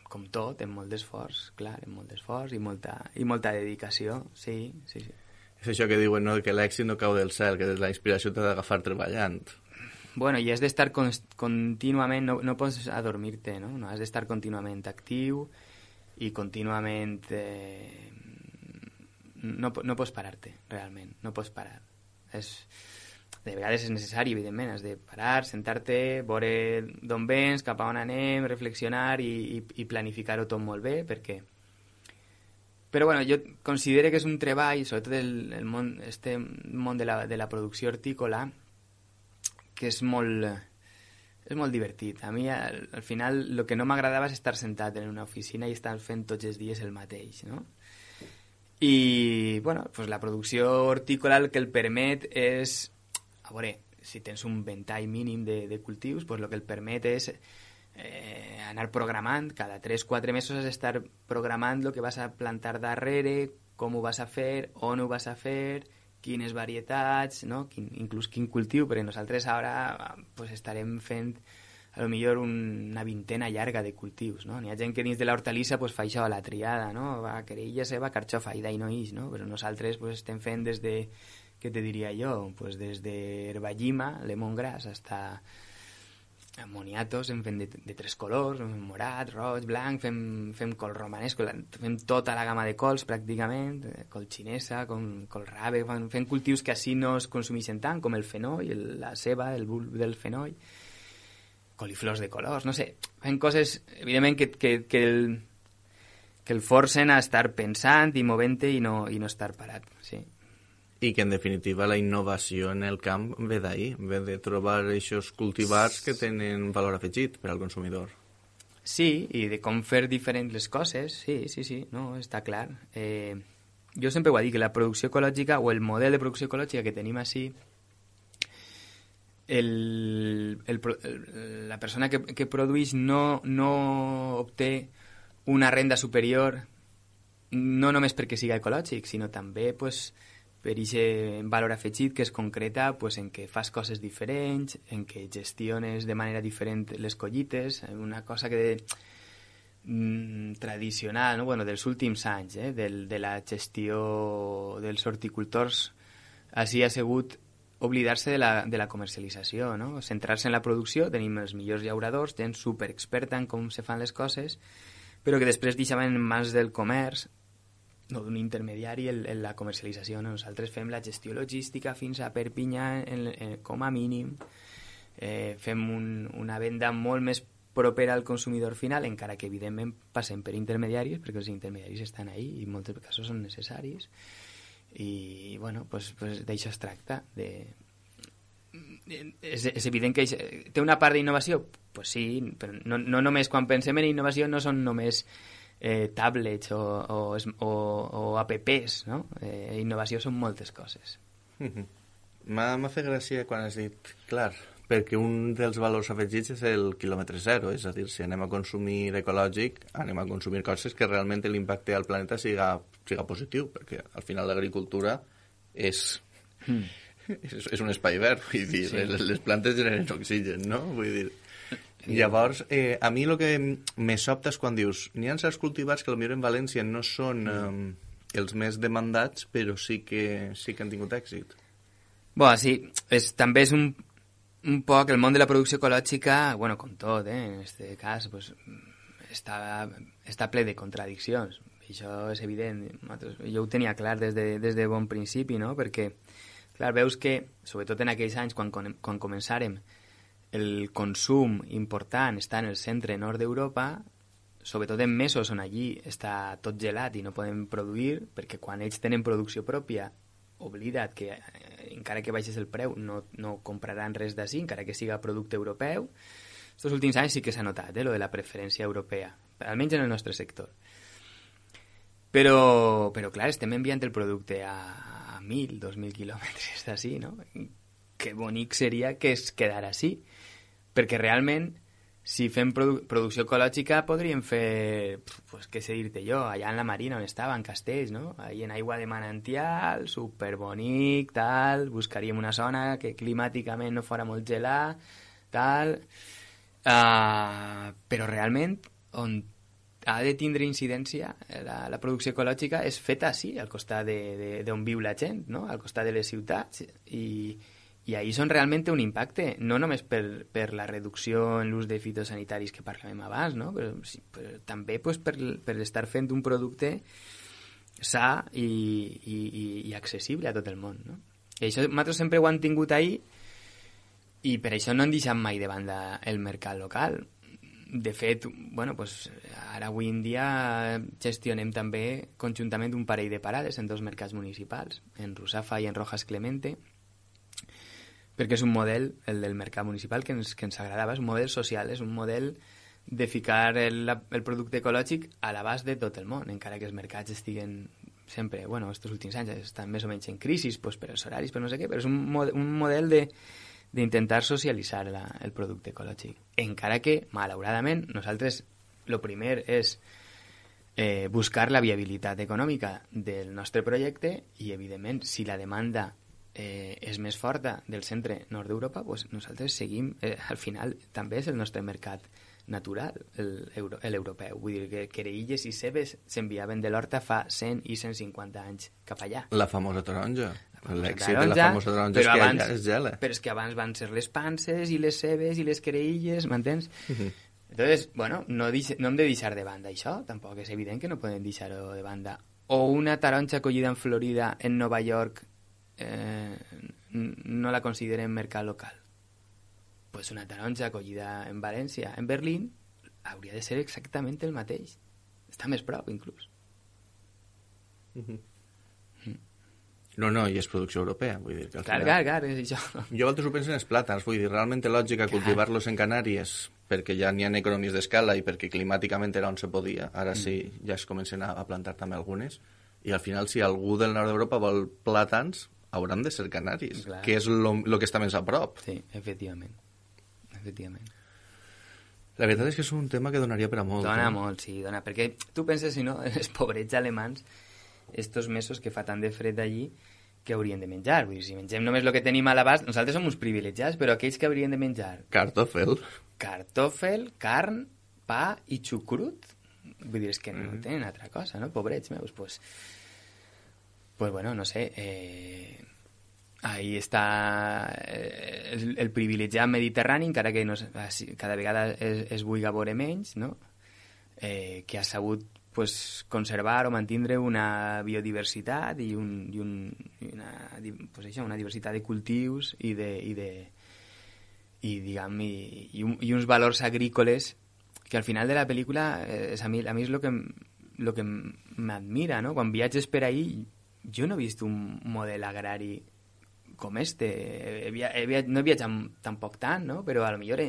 com tot, amb molt d'esforç, clar, amb molt d'esforç i molta dedicació, sí. És això que diuen, no?, que l'èxit no cau del cel, que la inspiració t'ha d'agafar treballant. I has d'estar contínuament, no pots adormir-te, no? Has d'estar contínuament actiu i contínuament... No pots parar-te, realment, no pots parar. De vegades és necessari, evidentment, has de parar, sentar-te, veure d'on vens, cap a on anem, reflexionar i planificar-ho tot molt bé, perquè... Però, jo considero que és un treball, sobretot el món de la producció hortícola, que és molt divertit. A mi, al final, el que no m'agradava és estar sentat en una oficina i estar fent tots els dies el mateix, no? I, la producció hortícola el que el permet és... A veure, si tens un ventall mínim de cultius, el que el permet és anar programant. Cada 3-4 mesos has d'estar programant el que vas a plantar darrere, com ho vas a fer, on ho vas a fer, quines varietats, no? Inclús quin cultiu, perquè nosaltres ara estarem fent a lo millor una vintena llarga de cultius, no? N'hi ha gent que dins de l'hortalissa fa això, la triada, no? Va querella seva, carxofa, i no ix, no? Però nosaltres estem fent des de... Què te diria jo? Des de herballima, lemongrass, hasta moniatos, en fem de 3 colors, morat, roig, blanc, fem col romanesco, fem tota la gamma de cols pràcticament, col xinesa, col rave, fem cultius que així no es consumeixen tant, com el fenoll, la ceba, el bulb del fenoll, coliflors de colors, no sé, fem coses, evidentment, que el forcen a estar pensant i movent-te i no estar parat, sí. I que, en definitiva, la innovació en el camp ve d'ahir, ve de trobar aquests cultivars que tenen valor afegit per al consumidor. Sí, i de com fer diferents les coses, sí, no, està clar. jo sempre ho he dit, que la producció ecològica o el model de producció ecològica que tenim així, la persona que produeix no obté una renda superior no només perquè siga ecològic, sinó també pues, per aquest valor afegit que es concreta pues, en que fas coses diferents, en que gestiones de manera diferent les collites, una cosa que tradicional, no? Bueno, dels últims anys, de la gestió dels horticultors, així ha sigut oblidar-se de la comercialització, no? Centrar-se en la producció, tenim els millors llauradors, gent superexperta en com se fan les coses, però que després deixaven en mans del comerç, no d'un intermediari, la comercialització. No? Nosaltres fem la gestió logística fins a Perpinyà com a mínim, fem una venda molt més propera al consumidor final, encara que evidentment passem per intermediaris, perquè els intermediaris estan ahí i en molts casos són necessaris. I bueno, pues d'això es tracta. És evident que té una part d'innovació? Pues sí, però no només quan pensem en innovació no són només tablets o apps, no? Innovació són moltes coses. M'ha fet gràcia quan has dit, clar, perquè un dels valors afegits és el quilòmetre zero, és a dir, si anem a consumir ecològic, anem a consumir coses que realment l'impacte al planeta siga positiu, perquè al final l'agricultura és un espai verd, vull dir, sí. Les plantes generen oxigen, no? Vull dir, llavors, a mi el que me sobta és quan dius, n'hi ha certs cultivars que potser en València no són els més demandats, però sí que han tingut èxit. Bueno, sí, també és un poc el món de la producció ecològica, bueno, com tot, en este cas, pues, està ple de contradiccions. Això és evident. Jo ho tenia clar des de bon principi, no? Perquè, clar, veus que, sobretot en aquells anys, quan començàrem, el consum important està en el centre nord d'Europa, sobretot en mesos on allí està tot gelat i no podem produir, perquè quan ells tenen producció pròpia, oblida't que encara que baixes el preu no compraran res d'ací, encara que siga producte europeu. Estos últims anys sí que s'ha notat, lo de la preferència europea, almenys en el nostre sector. Però clar, estem enviant el producte a 1.000, 2.000 quilòmetres d'ací, no? Que bonic seria que es quedara així, perquè realment si fem producció ecològica podríem fer, pues, què sé dir-te jo, allà en la Marina on estava, en Castells, no? Allà en aigua de manantial, superbonic, tal, buscaríem una zona que climàticament no fora molt gelat, tal, però realment on ha de tindre incidència la producció ecològica és feta així, al costat d'on viu la gent, no? Al costat de les ciutats, i ahí són realment un impacte, no només per la reducció en l'ús de fitosanitaris que parlàvem abans, no? però també pues, per estar fent un producte sa i accessible a tot el món. No? I això nosaltres sempre ho hem tingut ahí i per això no hem deixat mai de banda el mercat local. De fet, bueno, pues, ara avui en dia gestionem també conjuntament un parell de parades en 2 mercats municipals, en Rusafa i en Rojas Clemente, perquè és un model, el del mercat municipal, que ens agradava, és un model social, és un model de ficar el producte ecològic a l'abast de tot el món, encara que els mercats estiguen sempre, bueno, estos últims anys estan més o menys en crisi, pues, per els horaris, per no sé què, però és un model d'intentar socialitzar el producte ecològic. Encara que, malauradament, nosaltres el primer és buscar la viabilitat econòmica del nostre projecte i, evidentment, si la demanda és més forta del centre nord d'Europa, pues nosaltres seguim, al final també és el nostre mercat natural, l'europeu. Vull dir que querelles i cebes s'enviaven de l'horta fa 100 i 150 anys cap allà. La famosa taronja. L'èxit de la famosa taronja és que allà és gela. Però és que abans van ser les panses i les cebes i les querelles, m'entens? Entonces, bueno, no hem de deixar de banda això, tampoc és evident que no podem deixar-ho de banda. O una taronja collida en Florida, en Nova York, no la considerem mercat local. Pues una taronja collida en València, en Berlín, hauria de ser exactament el mateix. Està més prop, inclús. No, i és producció europea, vull dir que al final... Clar, és això. Jo altres ho penso en els plàtans, vull dir, realment té lògica cultivar-los en Canàries perquè ja n'hi ha economies d'escala i perquè climàticament era on se podia, ara sí ja es comencen a plantar també algunes, I al final, si algú del nord d'Europa vol plàtans, hauran de ser canaris, Clar. que és lo que està més a prop. Sí, efectivament. La veritat és que és un tema que donaria per a molt. Dona molt, sí, dona. Perquè tu penses, si no, els pobrets alemans, estos mesos que fa tant de fred allí, que haurien de menjar? Vull dir, si mengem només el que tenim a l'abast, nosaltres som uns privilegiats, però aquells que haurien de menjar Kartoffel. carn, pa i xucrut, vull dir, és que no tenen altra cosa, no? Pobrets meus, pues bueno, no sé, ahí està el privilegiat mediterrani, encara que no, cada vegada es vulgui veure menys, no? Que ha sabut pues, conservar o mantindre una biodiversitat i una diversitat de cultius i uns valors agrícoles que al final de la pel·lícula a mi és el que m'admira, no? Quan viatges per ahí jo no he vist un model agrari com este. No he viatjat tampoc tant, no? Però a lo millor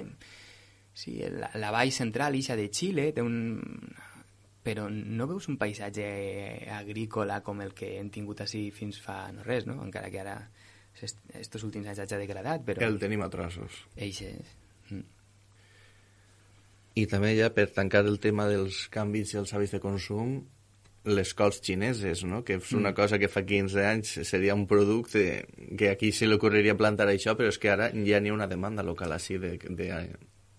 sí, la vall central ixa de Xile té però no veus un paisatge agrícola com el que hem tingut així fins fa no res, no? Encara que ara estos últims anys hagi degradat, però... El tenim a trossos. Eixes. I també ja, per tancar el tema dels canvis i els hàbits de consum, les cols xineses, no? Que és una cosa que fa 15 anys seria un producte que aquí se li ocorreria plantar això, però és que ara ja n'hi ha una demanda local així de...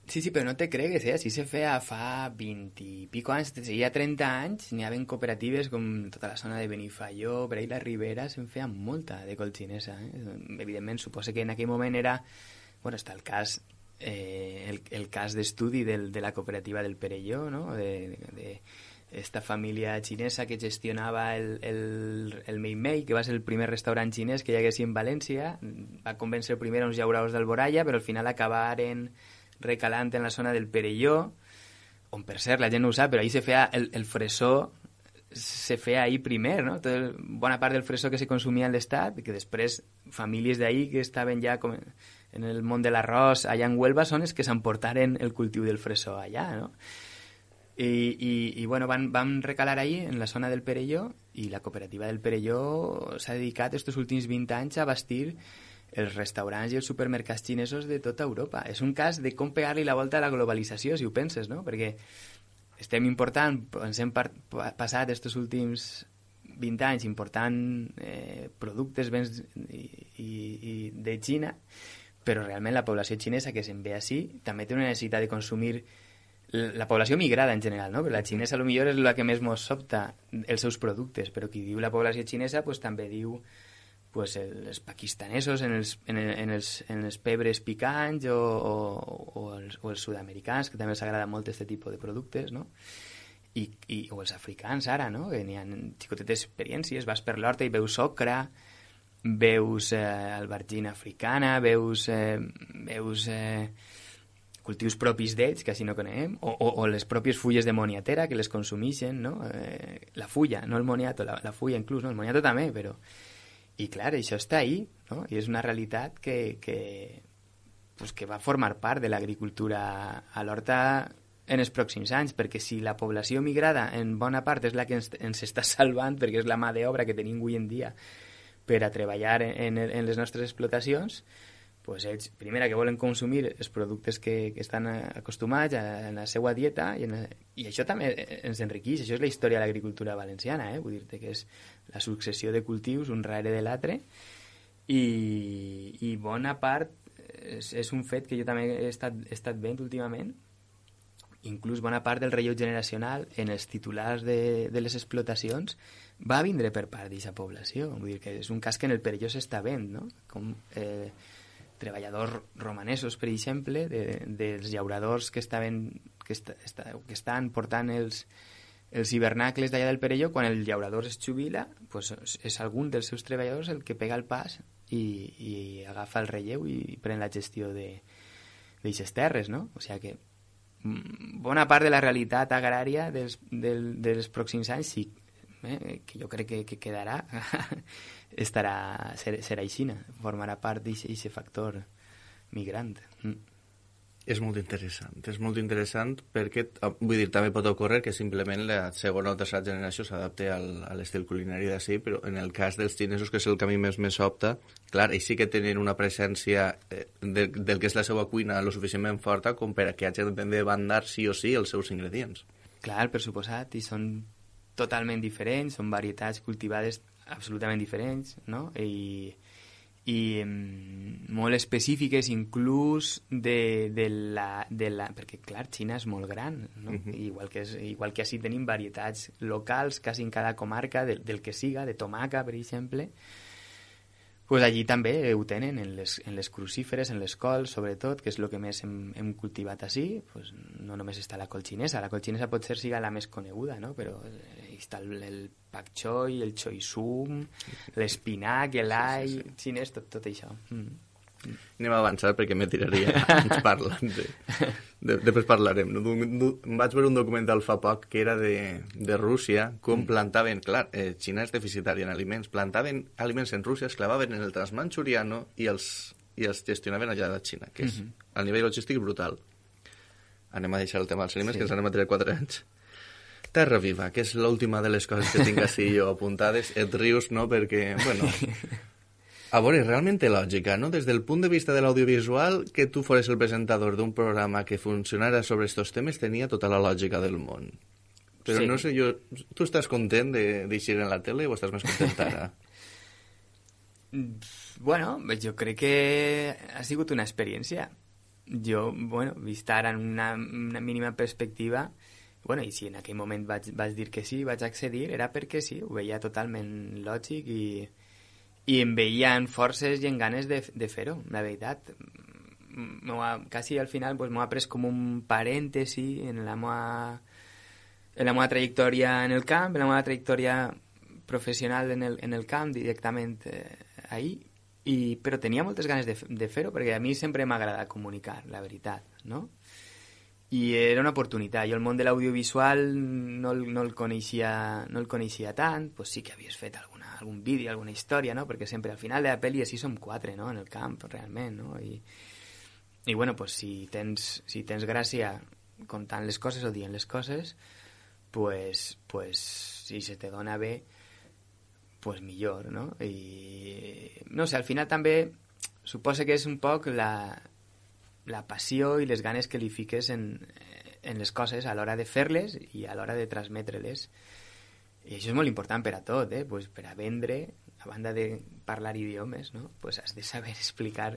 Sí, però no te cregues, Així se feia fa 20 i pico anys, hi ha 30 anys, n'hi havia cooperatives com tota la zona de Benifaió, per ahí la Ribera, se'n feia molta de col xinesa. Evidentment, suposo que en aquell moment era... Bueno, està el cas el cas d'estudi de la cooperativa del Perelló, no? De esta família xinesa que gestionava el Mei Mei, que va ser el primer restaurant xinès que hi hagués en València. Va convèncer primer uns llauradors d'Alboraya, però al final acabaren recalant en la zona del Perelló, on per cert la gent no ho sap, però ahí se feia el fresó, se feia ahí primer, no? Bona part del fresó que se consumia en l'estat, que després famílies d'ahí que estaven ja com en el món de l'arròs allà en Huelva són els que s'emportaren el cultiu del fresó allà, no? I bueno, van recalar ahí en la zona del Perelló, i la cooperativa del Perelló s'ha dedicat estos últims 20 anys a bastir els restaurants i els supermercats xinesos de tota Europa. És un cas de com pegar-li la volta a la globalització, si ho penses, no? Perquè ens hem passat estos últims 20 anys important productes, béns i de Xina, però realment la població xinesa que se'n ve així també té una necessitat de consumir la població migrada en general, no? Perquè la xinesa potser és la que més mos sobta els seus productes, però qui diu la població xinesa pues, també diu pues, els pakistanesos en els pebres picants o els sud-americans, que també els agrada molt aquest tipus de productes, no? O els africans ara, no? Que n'hi ha xicotetes experiències, vas per l'horta i veus ocra, veus albergina africana, veus cultius propis d'ells, que així no coneguem, o les pròpies fulles de moniatera que les consumeixen, no? La fulla, no el moniato, la fulla inclús, no? El moniato també, però... I clar, això està ahí, no? I és una realitat que va formar part de l'agricultura a l'horta en els pròxims anys, perquè si la població migrada en bona part és la que ens està salvant, perquè és la mà d'obra que tenim avui en dia per a treballar en les nostres explotacions, pues ells, primera, que volen consumir els productes que estan acostumats en la seva dieta, i això també ens enriqueix. Això és la història de l'agricultura valenciana, vull dir-te que és la successió de cultius un darrere de l'altre, i bona part és un fet que jo també he estat veient últimament. Inclús bona part del relleu generacional en els titulars de les explotacions va vindre per part d'aquesta població. Vull dir que és un cas que en el Perelló s'està veient, no? Com treballadors romanesos, per exemple, dels llauradors que estan portant els hivernacles d'allà del Perelló, quan el llaurador es jubila, pues és algun dels seus treballadors el que pega el pas i agafa el relleu i pren la gestió d'aixes terres, no? O sigui que bona part de la realitat agrària dels pròxims anys sí, que jo crec que quedarà serà aixina, formarà part d'aquest factor migrant. És molt interessant perquè, vull dir, també pot ocórrer que simplement la segona o tercera generació s'adapte a l'estil culinari d'ací, però en el cas dels xinesos, que és el que a mi més opta, clar, ells sí que tenen una presència del que és la seva cuina lo suficientment forta com per a que hagin de bandar sí o sí els seus ingredients. Clar, per suposat, i són totalment diferents, són varietats cultivades absolutament diferents, no? I molt específiques inclús de la... Perquè, clar, Xina és molt gran, no? Igual que així tenim varietats locals, quasi en cada comarca, del que siga, de tomaca, per exemple, pues allí també ho tenen, en les crucíferes, en les cols, sobretot, que és el que més hem cultivat així. Pues no només està la col xinesa. La col xinesa potser siga la més coneguda, no? Però està el pak choi, el choi sum, l'espinac, l'all, xinès, tot això. Anem a avançar perquè me tiraria anys parlant. Després parlarem. Vaig veure un documental fa poc que era de Rússia, com plantaven, clar, Xina és deficitària en aliments, plantaven aliments en Rússia, es clavaven en el transmanxuriano i els gestionaven allà de Xina, que és a nivell logístic brutal. Anem a deixar el tema dels aliments, que ens anem a tirar 4 anys. Terra Viva, que és l'última de les coses que tinc així jo apuntades. Et rius, no?, perquè, bueno... A veure, realment té lògica, no? Des del punt de vista de l'audiovisual, que tu fores el presentador d'un programa que funcionara sobre estos temes tenia tota la lògica del món. Però no sé, tu estàs content d'eixir en la tele o estàs més content ara? Bueno, jo crec que ha sigut una experiència. Jo, bueno, vist ara en una mínima perspectiva, bueno, i si en aquell moment vaig dir que sí, vaig accedir, era perquè sí, ho veia totalment lògic i em veien forces i en ganes de fer-ho, la veritat. Quasi al final m'ho ha pres com un parèntesi en la meva trajectòria en el camp, en la meva trajectòria professional en el camp, directament ahir, però tenia moltes ganes de fer-ho, perquè a mi sempre m'ha agradat comunicar, la veritat, no? I era una oportunitat. Jo el món de l'audiovisual no el coneixia tant, pues sí que havies fet algun vídeo, alguna història, no? Perquè sempre al final de la pel·li així som 4, no?, en el camp, realment, no? I bueno, pues si tens gràcia contant les coses o dient les coses, pues si se te dona bé, pues millor, no? I no sé, al final també suposa que és un poc la passió i les ganes que li fiques en les coses a l'hora de fer-les i a l'hora de transmetre-les. I això és molt important per a tot, pues per a vendre, a banda de parlar idiomes, no? Pues has de saber explicar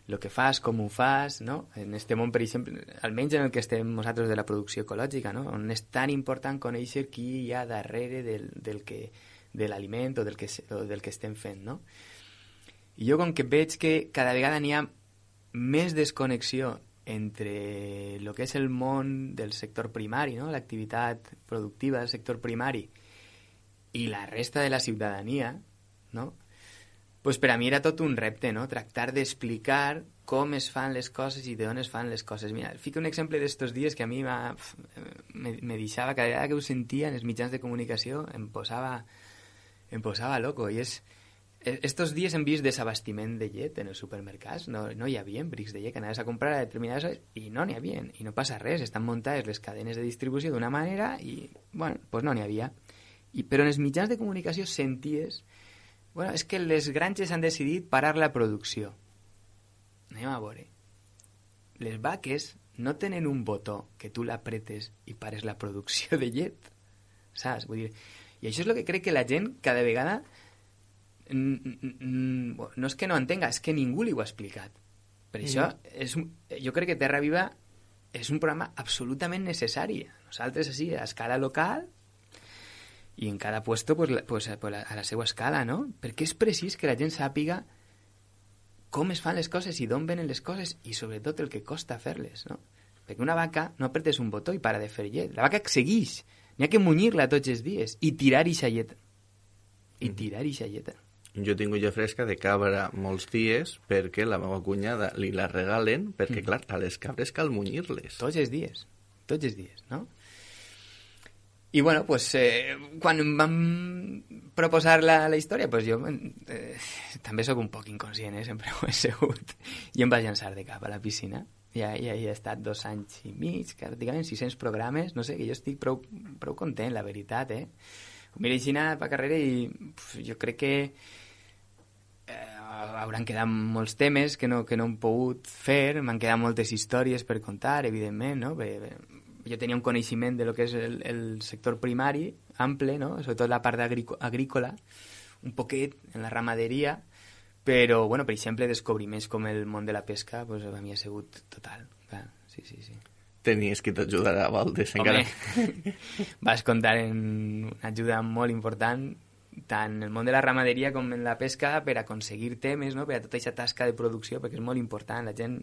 el que fas, com ho fas, no? En este món, per exemple, almenys en el que estem nosaltres de la producció ecològica, no? On és tan important conèixer qui hi ha darrere de l'aliment o del que estem fent, no? I jo, com que veig que cada vegada n'hi ha més desconnexió entre el que és el món del sector primari, no?, l'activitat productiva del sector primari i la resta de la ciutadania, no?, pues per a mi era tot un repte, no?, tractar d'explicar com es fan les coses i d'on es fan les coses. Mira, fico un exemple d'estos dies que a mi me deixava, cada vegada que ho sentia en els mitjans de comunicació em posava loco, i és... Estos dies hem vist desabastiment de llet en els supermercats, no hi havia brics de llet que anaves a comprar a determinades hores i no n'hi havia, i no passa res, estan muntades les cadenes de distribució d'una manera i, bueno, pues no n'hi havia. Però en els mitjans de comunicació senties, bueno, és que les granges han decidit parar la producció. Anem a veure. Les vaques no tenen un botó que tu l'apretes i pares la producció de llet, saps? Vull dir, i això és el que crec que la gent cada vegada... no és que no entenga, és que ningú li ho ha explicat. Per això jo crec que Terra Viva és un programa absolutament necessari. Nosaltres així, a escala local i en cada puesto pues a la seva escala, no? Perquè és precís que la gent sàpiga com es fan les coses i d'on venen les coses i sobretot el que costa fer-les, no? Perquè una vaca no apretes un botó i para de fer llet. La vaca segueix. N'hi ha que munyir-la tots els dies i tirar ixa lleta. Jo tinc olla fresca de cabra molts dies perquè la meva cunyada li la regalen perquè, clar, a les cabres cal munyir-les. Tots els dies, no? I, bueno, pues, quan em van proposar la història, pues jo també sóc un poc inconscient, sempre ho he sigut, i em vaig llançar de cap a la piscina. ja he estat 2 anys i mig, pràcticament 600 programes, no sé, que jo estic prou content, la veritat, Mira, així anar per carrera i jo crec que hauran quedat molts temes que no hem pogut fer, m'han quedat moltes històries per contar, evidentment, no? Jo tenia un coneixement de lo que és el sector primari, ample, no? Sobretot la part agrícola, un poquet en la ramaderia, però, bueno, per exemple, descobriments com el món de la pesca, pues, a mi ha sigut total. Clar, sí. Tenies qui t'ajudarà, Valdés, encara. Home, vas comptar en una ajuda molt important, tant en el món de la ramaderia com en la pesca, per aconseguir temes, no? Per a tota aquesta tasca de producció, perquè és molt important. La gent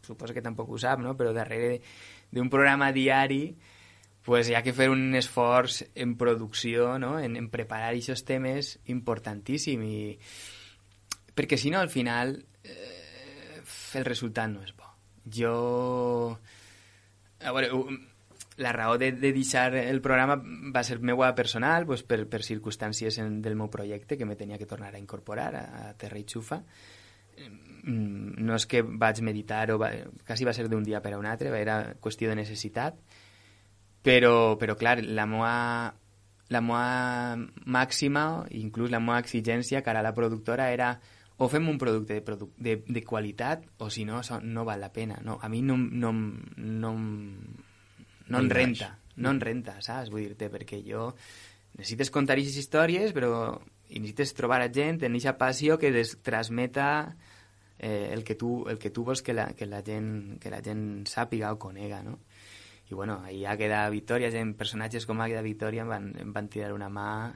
suposo que tampoc ho sap, no? Però darrere d'un programa diari pues hi ha que fer un esforç en producció, no? En preparar aquests temes importantíssim, perquè si no, al final, el resultat no és bo. A veure, la raó de deixar el programa va ser meua personal, pues, per circumstàncies del meu projecte que me tenia que tornar a incorporar a Terra i Xufa. No és que vaig meditar, quasi va ser d'un dia per a un altre, era qüestió de necessitat, però clar, la meva màxima, inclús la meva exigència cara a la productora era o fem un producte de qualitat o si no, no val la pena. No, a mi no em renta, saps? Vull dir-te, perquè jo necessites contar aquestes històries, però necessites trobar a gent en aquesta passió que transmeta el que tu vols que la gent sàpiga o conega, no? I bueno, ahí Àgueda Victòria, personatges com Àgueda Victòria em van tirar una mà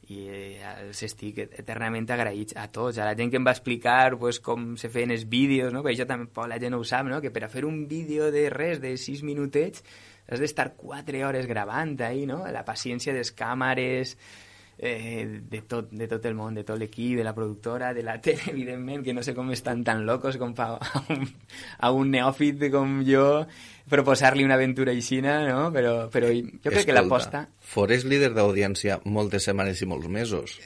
i els estic eternament agraïts a tots, a la gent que em va explicar pues, com se feien els vídeos, no? Perquè això també la gent no ho sap, no? Que per a fer un vídeo de res, de 6 minutets, has d'estar 4 hores gravant ahí, no? La paciència de les càmeres, de tot el món, de tot l'equip, de la productora, de la tele, evidentment, que no sé com estan tan locos com fa a un neòfit com jo proposar-li una aventura aixina, no? Però jo crec que l'aposta... Fores líder d'audiència moltes setmanes i molts mesos.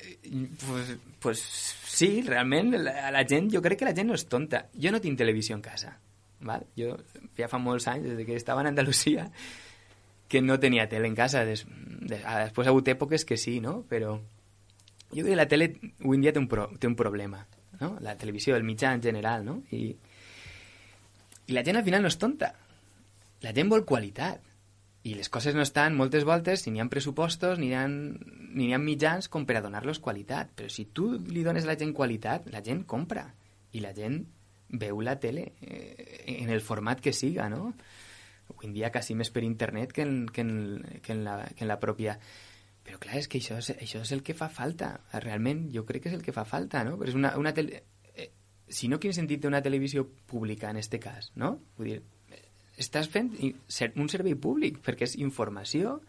Pues sí, realment, la gent, jo crec que la gent no és tonta. Jo no tinc televisió en casa, val? Jo ja fa molts anys, des que estava en Andalusia, que no tenia tele en casa. Després ha hagut èpoques que sí, no? Però jo crec que la tele avui en dia té un problema, no? La televisió, el mitjà en general, no? I la gent al final no és tonta. La gent vol qualitat. I les coses no estan moltes voltes, si n'hi ha pressupostos, ni n'hi ha mitjans com per a donar-los qualitat. Però si tu li dones a la gent qualitat, la gent compra. I la gent veu la tele en el format que siga, no? Avui en dia quasi més per internet que en la pròpia... Però clar, és que això és el que fa falta. Realment, jo crec que és el que fa falta, no? Però és si no, quin sentit té una televisió pública en este cas, no? Vull dir, estàs fent un servei públic, perquè és informació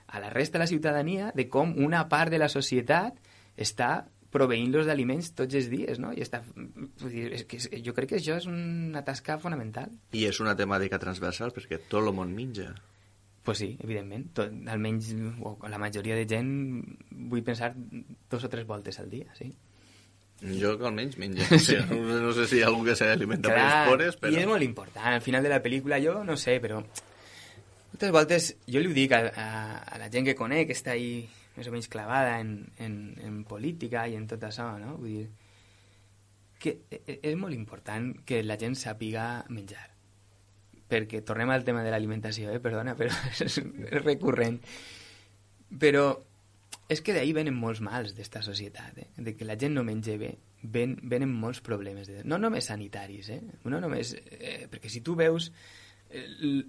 a la resta de la ciutadania de com una part de la societat està proveint-los d'aliments tots els dies, no? I jo crec que això és una tasca fonamental. I és una temàtica transversal, perquè tot el món menja. Pues sí, evidentment. Almenys la majoria de gent vull pensar 2 o 3 voltes al dia, sí. Jo que almenys menja. Sí. No sé si hi ha algú que s'alimenta per les pores, però... I és molt important. Al final de la pel·lícula, jo no sé, però... Moltes voltes jo li ho dic a la gent que conec, que està ahí més o menys clavada en política i en tot això, no? Vull dir que és molt important que la gent sàpiga menjar. Perquè tornem al tema de l'alimentació, perdona, però és recurrent. Però és que d'ahí venen molts mals d'esta societat, de que la gent no menja bé, venen molts problemes, no només sanitaris, no només, perquè si tu veus,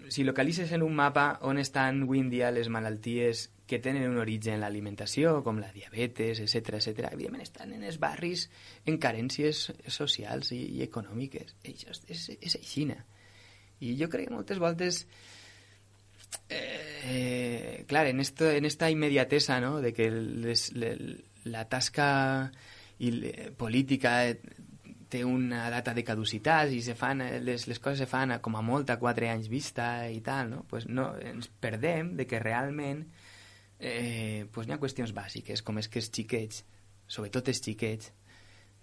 si localitzes en un mapa on estan avui en dia les malalties que tenen un origen en l'alimentació, com la diabetes, etc., evidentment estan en els barris en carències socials i econòmiques. Això és aixina. I jo crec que moltes voltes... clar, en esta immediatesa, no?, de que la tasca política té una data de caducitat i les coses se fan com a molt a 4 anys vista i tal, no? Pues no, ens perdem de que realment pues n'hi ha qüestions bàsiques, com és que els xiquets, sobretot els xiquets,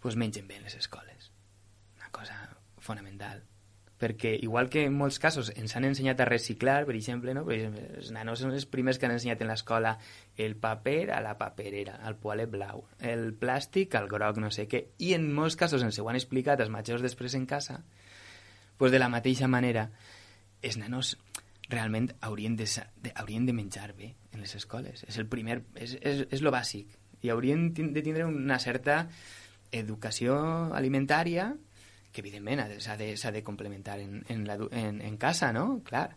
pues mengen bé en les escoles. Una cosa fonamental. perquè igual que en molts casos ens han ensenyat a reciclar, per exemple, no? Per exemple, els nanos són els primers que han ensenyat en l'escola el paper a la paperera, el poalet blau, el plàstic al groc, no sé què, i en molts casos ens ho han explicat els majors després en casa, doncs de la mateixa manera els nanos realment haurien de menjar bé en les escoles. És el primer, és lo bàsic. I haurien de tindre una certa educació alimentària que evidentment s'ha de complementar en casa, no? Clar.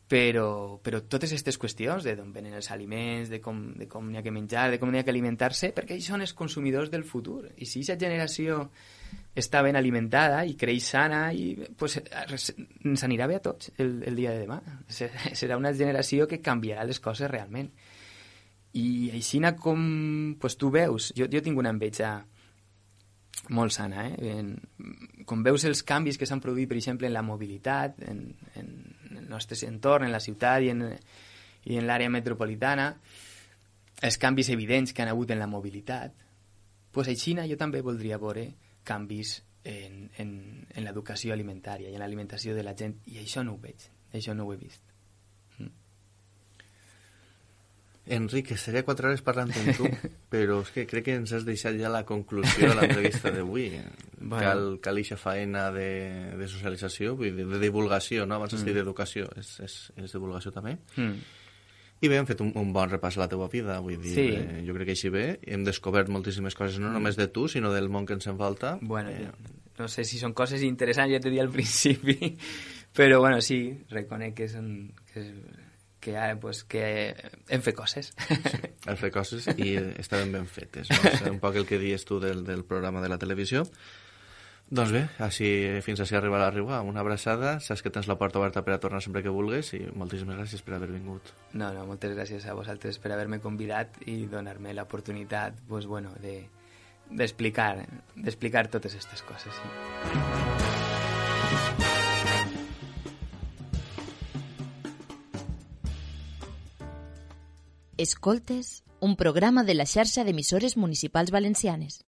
Però totes aquestes qüestions de d'on venen els aliments, de com n'hi ha que menjar, de com n'hi ha que alimentar-se, perquè ells són els consumidors del futur. I si aquesta generació està ben alimentada i creix sana, pues, ens anirà bé a tots el dia de demà. Serà una generació que canviarà les coses realment. I així com pues, tu veus, jo tinc una enveja molt sana, com veus els canvis que s'han produït, per exemple, en la mobilitat, en el nostre entorn, en la ciutat i en l'àrea metropolitana, els canvis evidents que han hagut en la mobilitat, doncs a Xina jo també voldria veure canvis en l'educació alimentària i en l'alimentació de la gent, i això no ho veig, això no ho he vist. Enric, estaria 4 hores parlant amb tu, però és que crec que ens has deixat ja la conclusió de l'entrevista d'avui. Bueno. Cal eixa faena de socialització, vull dir, de divulgació, no? Abans has dit d'educació, és divulgació també. I bé, hem fet un bon repàs a la teva vida, vull dir, sí. Jo crec que així bé, hem descobert moltíssimes coses, no només de tu, sinó del món que ens envolta. Bueno, no sé si són coses interessants, ja t'he dit al principi, però bueno, sí, reconec que hem fet coses. Sí, hem fet coses i estaven ben fetes, no? És un poc el que dius tu del programa de la televisió. Doncs bé, fins així arriba la riua. Una abraçada, saps que tens la porta oberta per a tornar sempre que vulguis i moltíssimes gràcies per haver vingut. No, moltes gràcies a vosaltres per haver-me convidat i donar-me l'oportunitat pues, bueno, d'explicar totes aquestes coses. Sí. Escoltes, un programa de la xarxa d'emissores municipals valencianes.